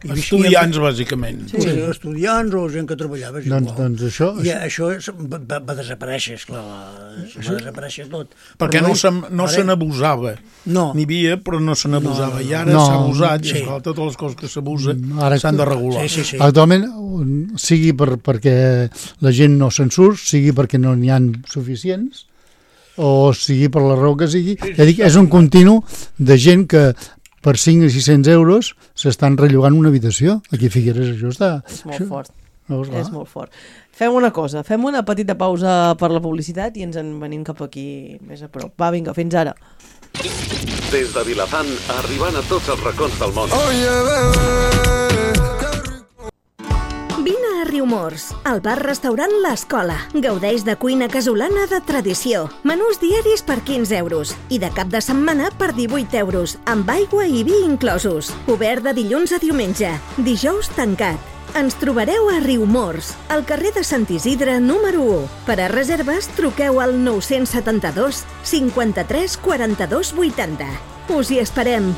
i
estudiants, bàsicament.
Sí, sí, estudiants o gent que treballava.
Doncs, doncs això...
I això va, va desaparèixer, esclar, va desaparèixer tot.
Perquè no, se, no se n'abusava.
No.
N'hi havia, però no se n'abusava. I ara
no.
s'ha abusat,
sí.
i esclar, totes les coses que s'abusa s'han de regular.
Sí, sí, sí.
Actualment, sigui per, perquè la gent no se'n surt, sigui perquè no n'hi ha suficients, o sigui per la raó que sigui. Ja dic, és un continu de gent que per cinc o sis-cents euros s'estan rellogant una habitació. Aquí a Figueres això està...
És molt
això,
fort.
No,
és molt fort. Fem una cosa, fem una petita pausa per la publicitat i ens en venim cap aquí més a prop. Va, vinga, fins ara.
Des de Vilafant, arribant a tots els racons del món.
Oh, yeah,
vine a Riumors, al bar-restaurant L'Escola. Gaudeix de cuina casolana de tradició. Menús diaris per quinze euros i de cap de setmana per divuit euros, amb aigua i vi inclosos. Obert de dilluns a diumenge, dijous tancat. Ens trobareu a Riumors, al carrer de Sant Isidre número u. Per a reserves, truqueu al nou set dos, cinquanta-tres, quaranta-dos, vuitanta. Us hi esperem.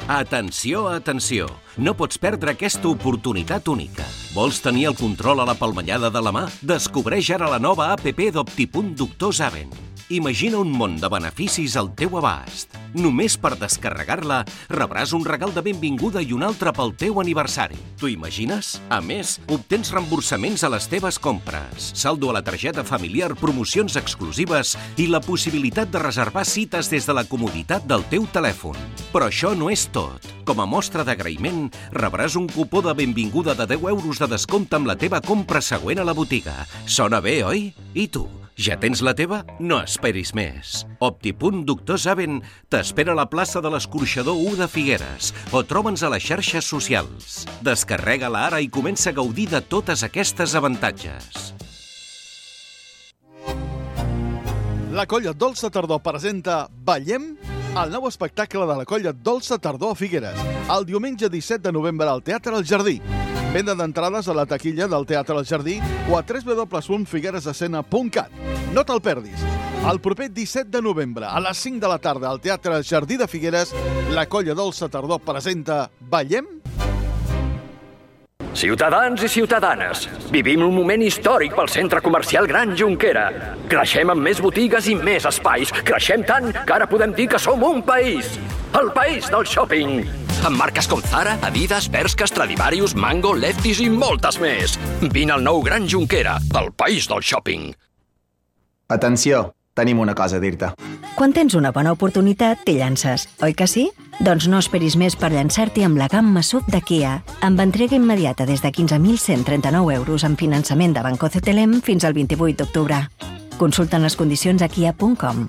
Atenció, atenció! No pots perdre aquesta oportunitat única. Vols tenir el control a la palmellada de la mà? Descobreix ara la nova app d'Optipunt Doctor Zaven. Imagina un món de beneficis al teu abast. Només per descarregar-la rebràs un regal de benvinguda i un altre pel teu aniversari. T'ho imagines? A més, obtens reemborsaments a les teves compres, saldo a la targeta familiar, promocions exclusives i la possibilitat de reservar cites des de la comoditat del teu telèfon. Però això no és tot. Com a mostra d'agraïment, rebràs un cupó de benvinguda de deu euros de descompte amb la teva compra següent a la botiga. Sona bé, oi? I tu? Ja tens la teva? No esperis més. Optipunt Doctor Zaven t'espera a la plaça de l'Escorxador u de Figueres o troba'ns a les xarxes socials. Descarrega-la ara i comença a gaudir de totes aquestes avantatges.
La Colla Dolça Tardor presenta Ballem, el nou espectacle de la Colla Dolça Tardor a Figueres, el diumenge disset de novembre al Teatre El Jardí. Venda d'entrades a la taquilla del Teatre El Jardí o a w w w punt figueresescena punt cat. No te'l perdis. El proper disset de novembre, a les cinc de la tarda, al Teatre El Jardí de Figueres, la Colla Dolça Tardor presenta Ballem.
Ciutadans i ciutadanes, vivim un moment històric pel centre comercial Gran Jonquera. Creixem amb més botigues i més espais. Creixem tant que ara podem dir que som un país. El país del shopping. Amb marques com Zara, Adidas, Bershka, Stradivarius, Mango, Lefties i moltes més. Vine al nou Gran Jonquera, el país del shopping.
Atenció, tenim una cosa a dir-te.
Quan tens una bona oportunitat, t'hi llances, oi que sí? Doncs no esperis més per llançar-t'hi amb la gamma S U V de Kia, amb entrega immediata des de quinze mil cent trenta-nou euros amb finançament de Banco C T L M fins al vint-i-vuit d'octubre. Consulten les condicions a kia punt com.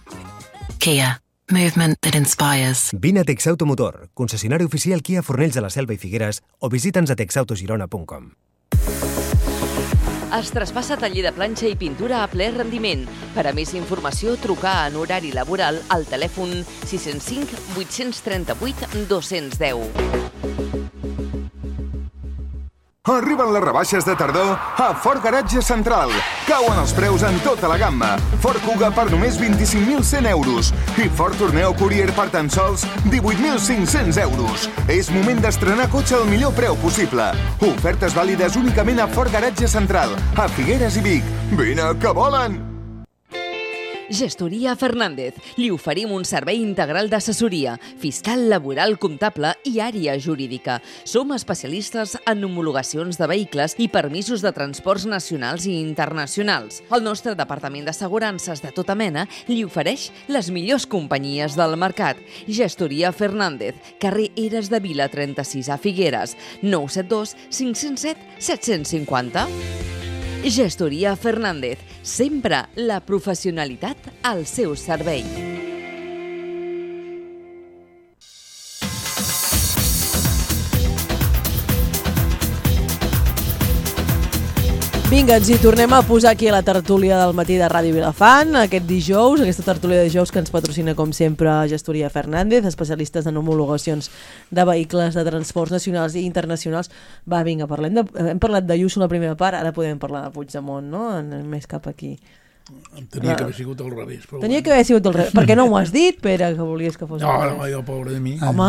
Kia. Movement that inspires.
Vine a Texautomotor, concessionari oficial Kia Fornells de la Selva i Figueres, o visita'ns a texautogirona punt com.
Es traspassa taller de planxa i pintura a ple rendiment. Per a més informació, trucar en horari laboral al telèfon sis zero cinc, vuit tres vuit, dos deu.
Arriben les rebaixes de tardor a Ford Garatge Central. Cauen els preus en tota la gamma. Ford Kuga per només vint-i-cinc mil cent euros i Ford Tourneo Courier per tan sols divuit mil cinc-cents euros. És moment d'estrenar cotxe al millor preu possible. Ofertes vàlides únicament a Ford Garatge Central, a Figueres i Vic. Vine, que volen!
Gestoria Fernández. Li oferim un servei integral d'assessoria, fiscal, laboral, comptable i àrea jurídica. Som especialistes en homologacions de vehicles i permisos de transports nacionals i internacionals. El nostre departament d'assegurances de tota mena li ofereix les millors companyies del mercat. Gestoria Fernández, carrer Eres de Vila trenta-sis a Figueres, nou set dos cinc zero set set cinc zero. Gestoria Fernández, sempre la professionalitat al seu servei.
Vinga, ens hi tornem a posar aquí a la tertúlia del matí de Ràdio Vilafant, aquest dijous, aquesta tertúlia de dijous que ens patrocina, com sempre, Gestoria Fernández, especialistes en homologacions de vehicles de transports nacionals i internacionals. Va, vinga, parlem de, hem parlat de Ayuso la primera part, ara podem parlar de Puigdemont, no? Anem més cap aquí.
Tenia que haver sigut al revés. Però
Tenia que haver sigut al revés. Per què no m'ho has dit, Pere, que volies que fos
no,
al revés?
No, jo, pobre de mi.
Home,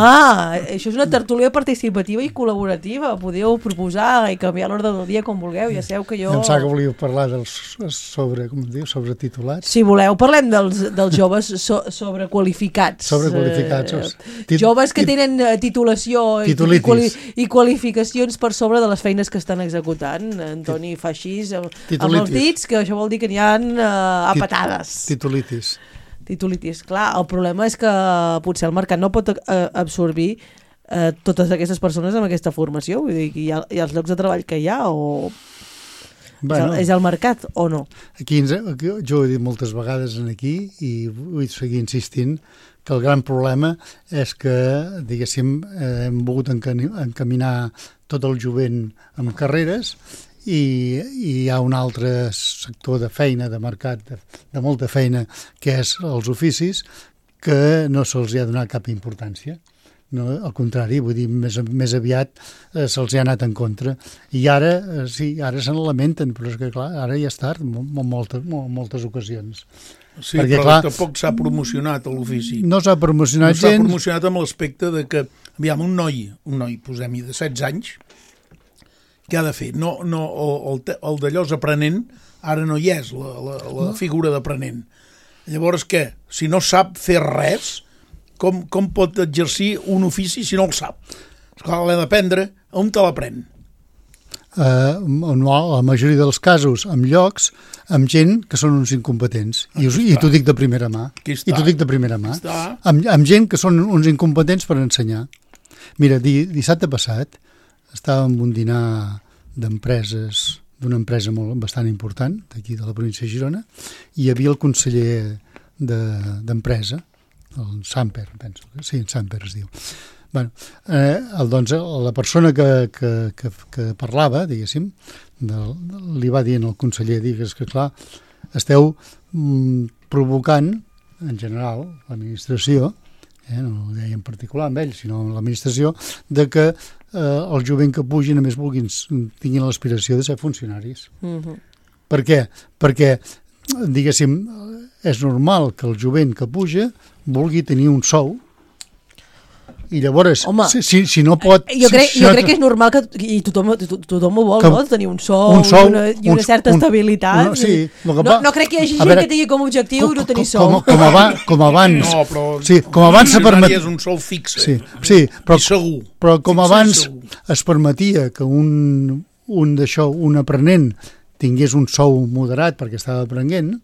això és una tertúlia participativa i col·laborativa. Podeu proposar i canviar l'ordre del dia com vulgueu. Ja sabeu que jo...
Em sap que volíeu parlar dels sobre, com es diu, sobre titulats.
Si voleu, parlem dels, dels joves so, sobrequalificats.
Sobrequalificats.
Eh, joves que tenen titulació i, i, quali, i qualificacions per sobre de les feines que estan executant. Antoni fa així amb els dits, que això vol dir que n'hi ha a patades.
Titulitis.
Titulitis, clar. El problema és que potser el mercat no pot absorbir eh, totes aquestes persones amb aquesta formació. Vull dir, hi ha, hi ha els llocs de treball que hi ha o... Bueno, és, el, és el mercat o no?
Aquí, aquí jo ho he dit moltes vegades aquí i vull seguir insistint que el gran problema és que, diguéssim, eh, hem volgut encaminar tot el jovent amb carreres i, i hi ha un altre sector de feina, de mercat, de, de molta feina, que és els oficis, que no se'ls ha donat cap importància. No, al contrari, vull dir, més, més aviat eh, se'ls ha anat en contra. I ara, eh, sí, ara se n'lamenten, però és que, clar, ara ja és tard, en moltes, moltes ocasions.
Sí, perquè, però clar, tampoc s'ha promocionat l'ofici.
No s'ha promocionat
no
gens.
No s'ha promocionat amb l'aspecte de que, aviam, un noi, un noi, posem-hi, de setze anys, què ha de fer? No, no, el, el d'allò és aprenent, ara no hi és la, la, la figura d'aprenent. Llavors què? Si no sap fer res, com, com pot exercir un ofici si no el sap? Esclar, l'ha d'aprendre, on te l'aprèn?
Uh, no, la majoria dels casos, amb llocs, amb gent que són uns incompetents. I, us, i t'ho dic de primera mà. I t'ho dic de primera mà. Amb, amb gent que són uns incompetents per ensenyar. Mira, di, dissabte passat estàvem en un dinar d'empreses, d'una empresa molt, bastant important, d'aquí de la província de Girona, i hi havia el conseller d'empresa, de, el Samper, penso. Sí, Samper es diu. Bueno, eh, el, doncs, la persona que, que, que, que parlava, diguéssim, de, li va dir al conseller, digues que clar, esteu mm, provocant, en general, l'administració, eh, no ho deia en particular amb ell, sinó amb l'administració, de que eh, el jovent que pugin, a més, vulguin, tinguin l'aspiració de ser funcionaris.
Mm-hmm.
Per què? Perquè, diguéssim, és normal que el jovent que puja vulgui tenir un sou, i llavors, Home, si, si, si no pot...
Jo crec,
si,
jo crec que és normal que i tothom, tothom ho vol, que, no? Tenir un sou,
un sou
i una, i una certa un, estabilitat.
Un, sí,
no, va, no crec que hi hagi gent veure, que tingui com a objectiu com, no tenir sou.
Com, com, aba, com abans...
No, però
sí, com abans se permet...
és un sou fix.
Sí, sí, però,
segur.
Però com abans es permetia que un, un d'això, un aprenent, tingués un sou moderat perquè estava aprenent,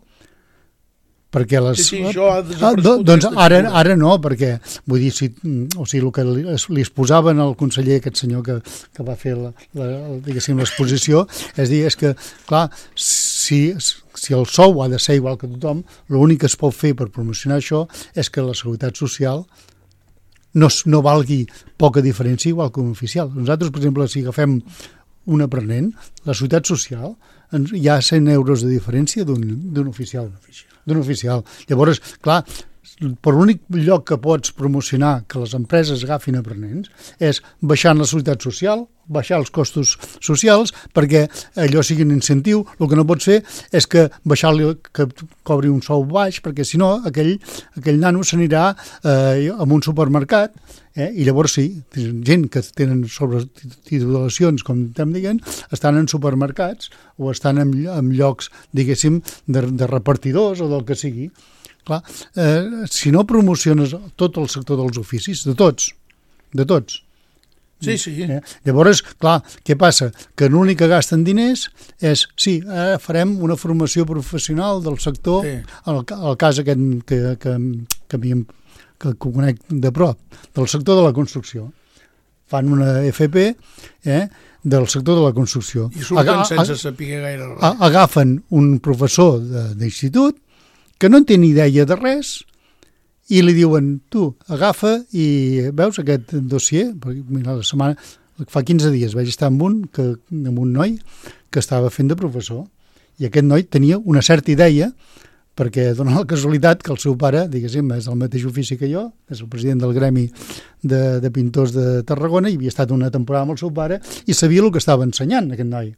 perquè les...
Sí, sí, això ha
desaparegut. Ah, doncs ara, ara no, perquè vull dir, si, o sigui, el que li, li exposaven al conseller, aquest senyor que, que va fer la, la, diguéssim, l'exposició, és dir, és que, clar, si, si el sou ha de ser igual que tothom, l'únic que es pot fer per promocionar això és que la seguretat social no, no valgui poca diferència igual que un oficial. Nosaltres, per exemple, si agafem un aprenent, la seguretat social, hi ha cent euros de diferència d'un oficial. d'un oficial. Llavors, clar, per l'únic lloc que pots promocionar que les empreses agafin aprenents és baixant la seguretat social, baixar els costos socials perquè allò sigui un incentiu. El que no pots fer és que baixar-li, que cobri un sou baix, perquè si no aquell, aquell nano s'anirà eh, a un supermercat, eh, i llavors sí, gent que tenen sobretitulacions, com estem dient, estan en supermercats o estan en, en llocs, diguéssim, de, de repartidors o del que sigui. Clar, eh, si no promociones tot el sector dels oficis, de tots, de tots.
Sí, sí.
Eh? Llavors, clar, què passa? Que l'únic que gasten diners és, sí, ara farem una formació professional del sector, sí. el, el cas aquest que, que, que, que, que conec de prop, del sector de la construcció. Fan una F P eh, del sector de la construcció.
I surten Aga sense saber gaire res.
Agafen un professor d'institut que no en té ni idea de res i li diuen, tu, agafa i veus aquest dossier, perquè mira, la setmana, fa quinze dies vaig estar amb un, que, amb un noi que estava fent de professor i aquest noi tenia una certa idea perquè dona la casualitat que el seu pare, diguéssim, és del mateix ofici que jo, és el president del Gremi de, de Pintors de Tarragona i havia estat una temporada amb el seu pare i sabia el que estava ensenyant aquest noi.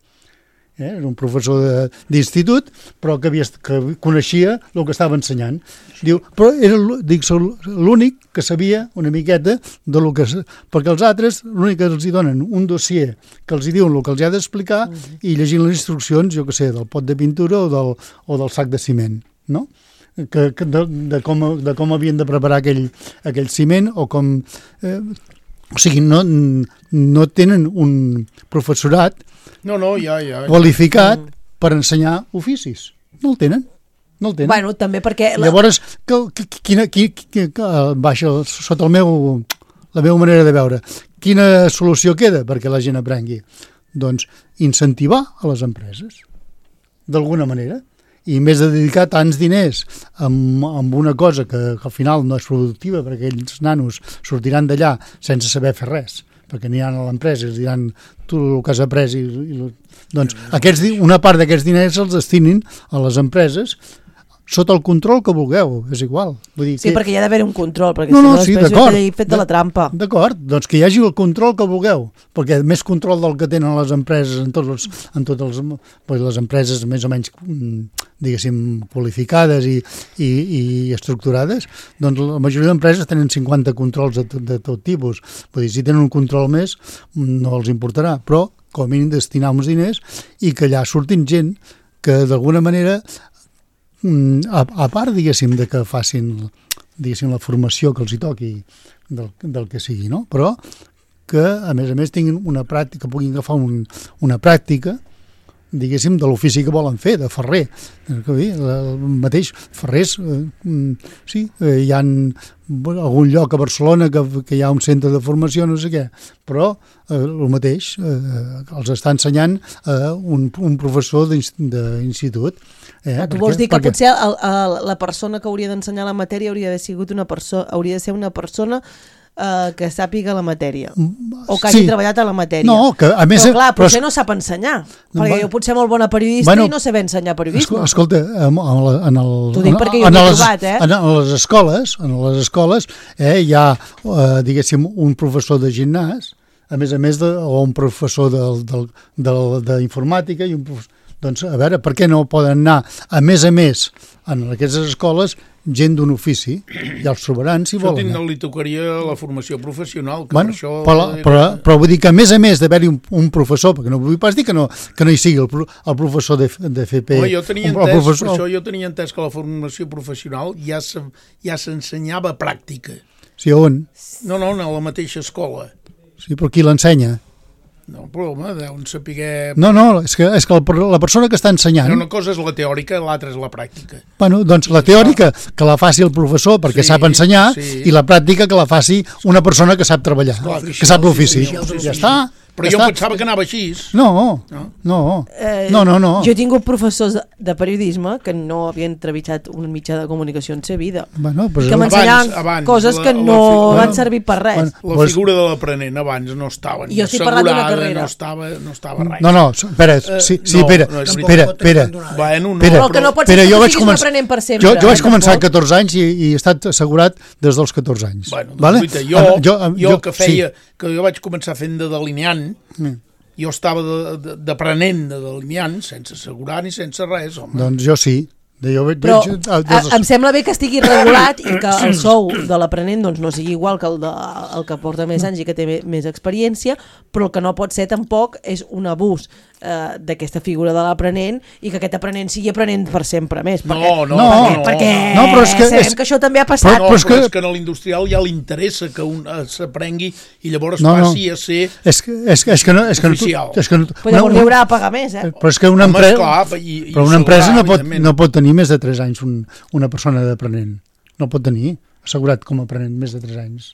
Eh? Era un professor d'institut, però que, havia, que coneixia el que estava ensenyant. Diu, però era l'únic que sabia una miqueta de lo que... Perquè els altres, l'únic que els hi donen un dossier que els hi diuen el que els hi ha d'explicar uh-huh. i llegint les instruccions, jo que sé, del pot de pintura o del, o del sac de ciment, no? Que, que de, de, com, de com havien de preparar aquell, aquell ciment o com... Eh, o sigui, no, no tenen un professorat
No, no, ja, ja.
qualificat mm. per ensenyar oficis. No el tenen. No el tenen.
Bueno, també perquè... La...
Llavors, que, que, quina, quina, quina, baixa, sota el meu, la meva manera de veure, quina solució queda perquè la gent aprengui? Doncs incentivar a les empreses, d'alguna manera, i en vez de dedicar tants diners amb, amb una cosa que, que al final no és productiva, perquè aquells nanos sortiran d'allà sense saber fer res, perquè aniran a l'empresa i els diran tu el que has après i, i doncs aquests, una part d'aquests diners els destinin a les empreses sota el control que vulgueu, és igual. Vull dir,
sí,
que... perquè
hi ha d'haver un control, perquè
no,
si no,
no sí,
després jo he fet de la trampa.
D'acord, doncs que hi hagi el control que vulgueu, perquè més control del que tenen les empreses en tots els, en tots els les empreses més o menys, diguéssim, qualificades i, i, i estructurades, doncs la majoria d'empreses tenen cinquanta controls de, de tot tipus. Vull dir, si tenen un control més, no els importarà, però com a mínim destinar uns diners i que allà surtin gent que d'alguna manera A, a part, diguéssim, de que facin diguéssim, la formació que els hi toqui del, del que sigui, no? Però que, a més a més, tinguin una pràctica, puguin agafar un, una pràctica, diguéssim, de l'ofici que volen fer, de ferrer. El mateix, ferrers, eh, sí, eh, hi ha algun lloc a Barcelona que, que hi ha un centre de formació, no sé què, però eh, el mateix, eh, els està ensenyant eh, un, un professor d'institut. Eh,
tu vols dir que perquè... potser el, el, la persona que hauria d'ensenyar la matèria hauria de, sigut una perso- hauria de ser una persona Uh, que sàpiga la matèria o que hagi sí. treballat a la matèria,
no, que, a més,
però clar,
però...
potser no sap ensenyar perquè va... jo potser molt bona periodista bueno, i no sé ben ensenyar periodisme.
Escolta, en, en el,
t'ho dic perquè jo
en,
ho he
les,
trobat eh?
en les escoles en les escoles eh, hi ha eh, diguéssim un professor de gimnàs a més a més de, o un professor d'informàtica i un professor. Doncs a veure, per què no poden anar a més a més en aquestes escoles gent d'un ofici, ja els trobaran si
això
volen.
Això li tocaria la formació professional, que
bueno,
per això...
Però,
era...
però, però vull dir que a més a més d'haver-hi un, un professor, perquè no vull pas dir que no, que no hi sigui el, el professor de, de F P...
Home, jo tenia entès, professor... per això jo tenia entès que la formació professional ja s'ensenyava ja pràctica.
Sí, on?
No, no, a la mateixa escola.
Sí, però qui l'ensenya?
No, però home, deuen saber...
No, no, és que, és que la persona que està ensenyant...
Una cosa és la teòrica, l'altra és la pràctica.
Bueno, doncs la teòrica que la faci el professor perquè sí, sap ensenyar sí. I la pràctica que la faci una persona que sap treballar, Esclar, que sap l'ofici. Sí, sí, sí,
sí,
ja està.
Però jo pensava que anava així.
No, no,
Eh,
no, no, no.
Jo he tingut professors de, de periodisme que no havien treballat un mitjà de comunicació en sa vida.
Bueno, pues
que m'ensenyaven coses que no van servir per res.
La figura de l'aprenent abans no estava ni
jo estic parlant d'una carrera.
No estava, no estava res.
No, no, espera, sí, sí,
no,
espera,
no
espera, espera.
Bueno, no,
però que no pot ser que
jo
tu
vaig
siguis
començar,
aprenent per sempre.
Jo, jo vaig començar a catorze anys i, i he estat assegurat des dels catorze anys.
Bueno, doncs,
vale?
Lluita, jo,
jo,
jo,
jo,
que feia,
sí.
que jo vaig començar fent de delineant, mm. jo estava d'aprenent de, de delineant, sense assegurar ni sense res, home.
Doncs jo sí. De jo veig,
però
veig,
a, a, em sembla bé que estigui regulat i que el sou de l'aprenent doncs, no sigui igual que el, de, el que porta més anys i que té més experiència, però el que no pot ser tampoc és un abús eh, d'aquesta figura de l'aprenent i que aquest aprenent sigui aprenent per sempre més. Perquè,
no, no,
perquè,
no,
perquè
no, però és que,
sabem
és,
que això també ha passat.
No, però és que, és que a l'industrial ja li interessa que un s'aprengui i llavors
no,
passi
no.
a ser
és que, és, és que no, és que
oficial.
No, és que no,
però llavors li haurà de pagar més, eh?
Però és que una,
Home,
empre...
esclar, i, i
però una empresa
sobrar,
no, pot, no pot tenir més de tres anys un, una persona d'aprenent. No pot tenir assegurat com a aprenent més de tres anys.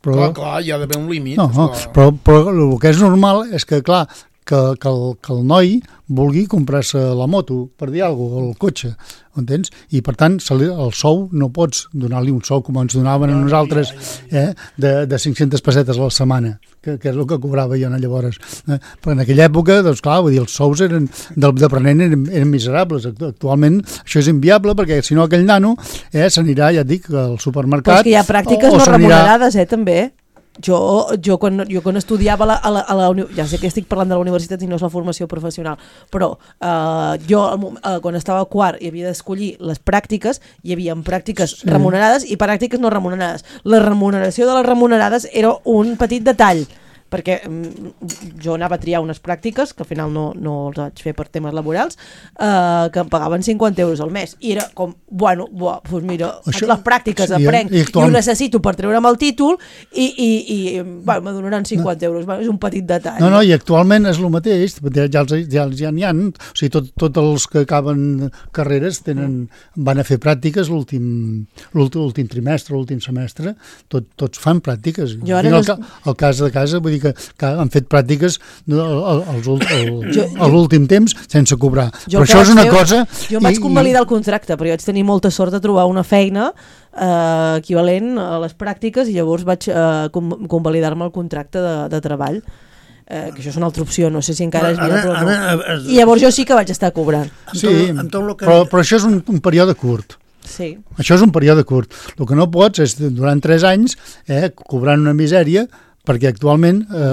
Però, clar, clar, hi ha d'haver un límit.
No, no, però, però el que és normal és que, clar, que, que, el, que el noi vulgui comprar-se la moto, per dir alguna cosa, o el cotxe, entens? I, per tant, el sou no pots donar-li un sou com ens donaven a nosaltres eh, de, de cinc-centes pessetes a la setmana, que, que és el que cobrava jo llavors. Eh? Però en aquella època, doncs clar, vull dir, els sous eren d'aprenent eren, eren miserables. Actualment això és inviable perquè si no aquell nano eh, s'anirà, ja et dic, al supermercat.
Però és que hi ha pràctiques o, o no remunerades, eh, també. Jo, jo, quan, jo quan estudiava a la, a la, a la ja sé que estic parlant de la universitat i no és la formació professional, però eh, jo eh, quan estava a quart i havia d'escollir les pràctiques, hi havia pràctiques sí. remunerades i pràctiques no remunerades. La remuneració de les remunerades era un petit detall, perquè mm, jo anava a triar unes pràctiques que al final no, no els vaig fer per temes laborals, eh, que em pagaven cinquanta euros al mes i era com, bueno, buah, doncs mira això, les pràctiques sí, aprenc i, actualment... i ho necessito per treure'm el títol i, i, i bueno, me donaran cinquanta no. euros, bueno, és un petit detall.
No, no, i actualment és el mateix, ja, ja, ja, ja n'hi ha, o sigui, tot, tots els que acaben carreres tenen, van a fer pràctiques l'últim l'últim trimestre, l'últim semestre, tot, tots fan pràctiques. Jo ara no... el, el cas de casa, vull dir que, que han fet pràctiques a l'últim temps sense cobrar. Però això és una fer, cosa...
Jo vaig convalidar el contracte, però jo vaig tenir molta sort de trobar una feina eh, equivalent a les pràctiques i llavors vaig eh, convalidar-me el contracte de, de treball. Eh, que això és una altra opció, no sé si encara és vida, però no. Ara, ara, I llavors jo sí que vaig estar cobrant.
Sí, però, però això és un, un període curt.
Sí.
Això és un període curt. El que no pots és, durant tres anys, eh, cobrant una misèria, perquè actualment eh,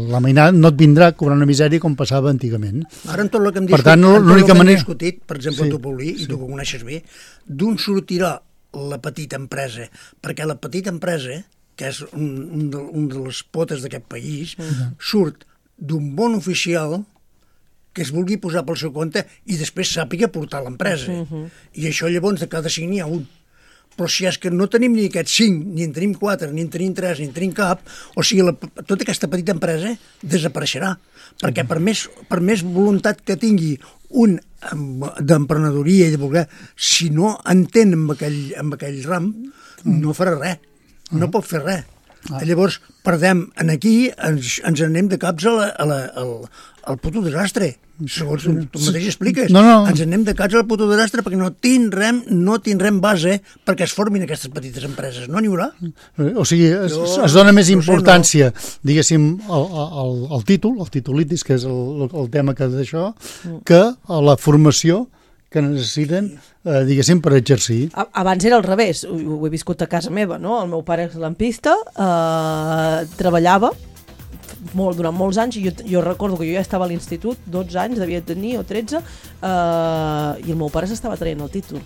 la mainada no et vindrà a cobrar una misèria com passava antigament.
Ara en tot el que hem discutit,
tant, l'única
hem
manera...
discutit per exemple, sí, tu, Paulí, i
sí.
tu que coneixes bé, d'on sortirà la petita empresa, perquè la petita empresa, que és un, un, de, un de les potes d'aquest país, uh-huh. surt d'un bon oficial que es vulgui posar pel seu compte i després sàpiga portar l'empresa. Uh-huh. I això llavors de cada cinc n'hi ha un. Però si és que no tenim ni aquests cinc, ni en tenim quatre, ni en tenim tres, ni en tenim cap, o sigui, la, tota aquesta petita empresa desapareixerà. Perquè per més, per més voluntat que tingui un d'emprenedoria i de voler, si no entén amb aquell, amb aquell ram, no farà res, no pot fer res. Ah. Llavors, perdem en aquí, ens, ens anem de caps a la, a la, al, al puto desastre. Segons tu, tu mateix expliques.
No, no.
Ens anem de caps al puto desastre perquè no tindrem, no tindrem base perquè es formin aquestes petites empreses. No n'hi haurà.
O sigui, es, no, es dona més importància, no. diguéssim, al, al, al títol, al titulitis, que és el, el tema que d'això, que a la formació que necessiten, eh, diguéssim, per exercir.
Abans era al revés, ho, ho he viscut a casa meva, no? El meu pare és lampista, eh, treballava molt, durant molts anys, i jo, jo recordo que jo ja estava a l'institut, dotze anys devia tenir, o tretze, eh, i el meu pare s'estava traient el títol.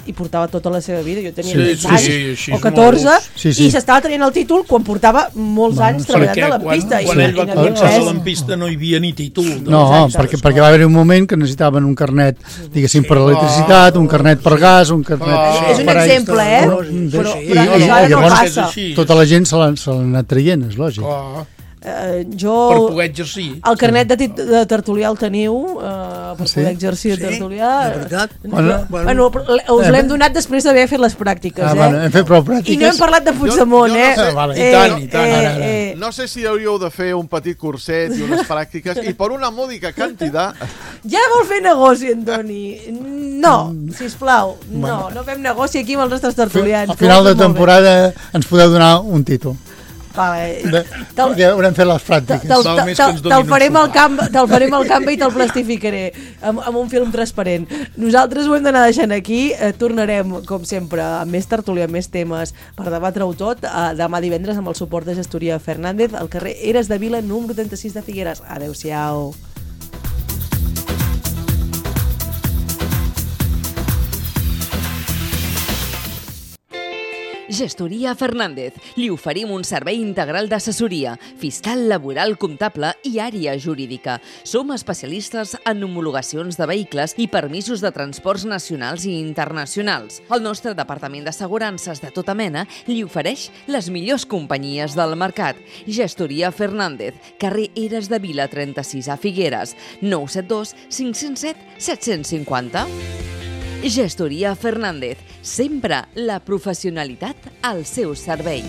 I portava tota la seva vida, jo tenia sí, sí, anys sí, sí, o catorze, sí, sí. i s'estava traient el títol quan portava molts bueno, anys treballant de lampista.
Quan, quan ell va començar a lampista no hi havia ni títol.
No, exacte, perquè, perquè va haver un moment que necessitaven un carnet, diguéssim, per electricitat, un carnet per gas, un carnet...
Ah, és un exemple, eh? Però, però, però
i, i, i llavors tota la gent se l'ha anat traient, és lògic.
Ah.
Eh, jo...
Per poder exercir.
El carnet de, tit- de tertulià el teniu, eh, per
Sí?
poder exercir de
Sí,
tertulià.
de veritat.
Bueno, bueno, bueno, us l'hem donat després d'haver fet les pràctiques,
Ah,
eh?
bueno, hem fet prou pràctiques.
I no hem parlat de Puigdemont,
Jo- jo no
eh?
sé.
Ah, vale.
Eh,
I tant, i tant.
eh,
Ara, ara.
eh,
No sé si hauríeu de fer un petit curset i unes pràctiques i per una mòdica quantitat...
Ja vol fer negoci, Antoni. No, sisplau, no, no fem negoci aquí amb els nostres tertulians.
Al final de
Molt bé.
temporada ens podeu donar un títol.
Vale.
De,
Te'l-
perquè haurem fet les pràctiques.
Te'l
Val més que ens
te'l-
donin
te'l farem
un
al
sopar.
camp, te'l farem al camp i te'l plastificaré amb, amb un film transparent. Nosaltres ho hem d'anar deixant aquí. Eh, tornarem, com sempre, amb més tertúlia, amb més temes per debatre-ho tot. Eh, demà divendres amb el suport de Gestoria Fernández al carrer Eres de Vila, número trenta-sis de Figueres. Adéu-siau.
Gestoria Fernández. Li oferim un servei integral d'assessoria, fiscal, laboral, comptable i àrea jurídica. Som especialistes en homologacions de vehicles i permisos de transports nacionals i internacionals. El nostre departament d'assegurances de tota mena li ofereix les millors companyies del mercat. Gestoria Fernández, carrer Eres de Vila trenta-sis a Figueres, nou set dos cinc zero set set cinc zero. Gestoria Fernández, sempre la professionalitat al seu servei.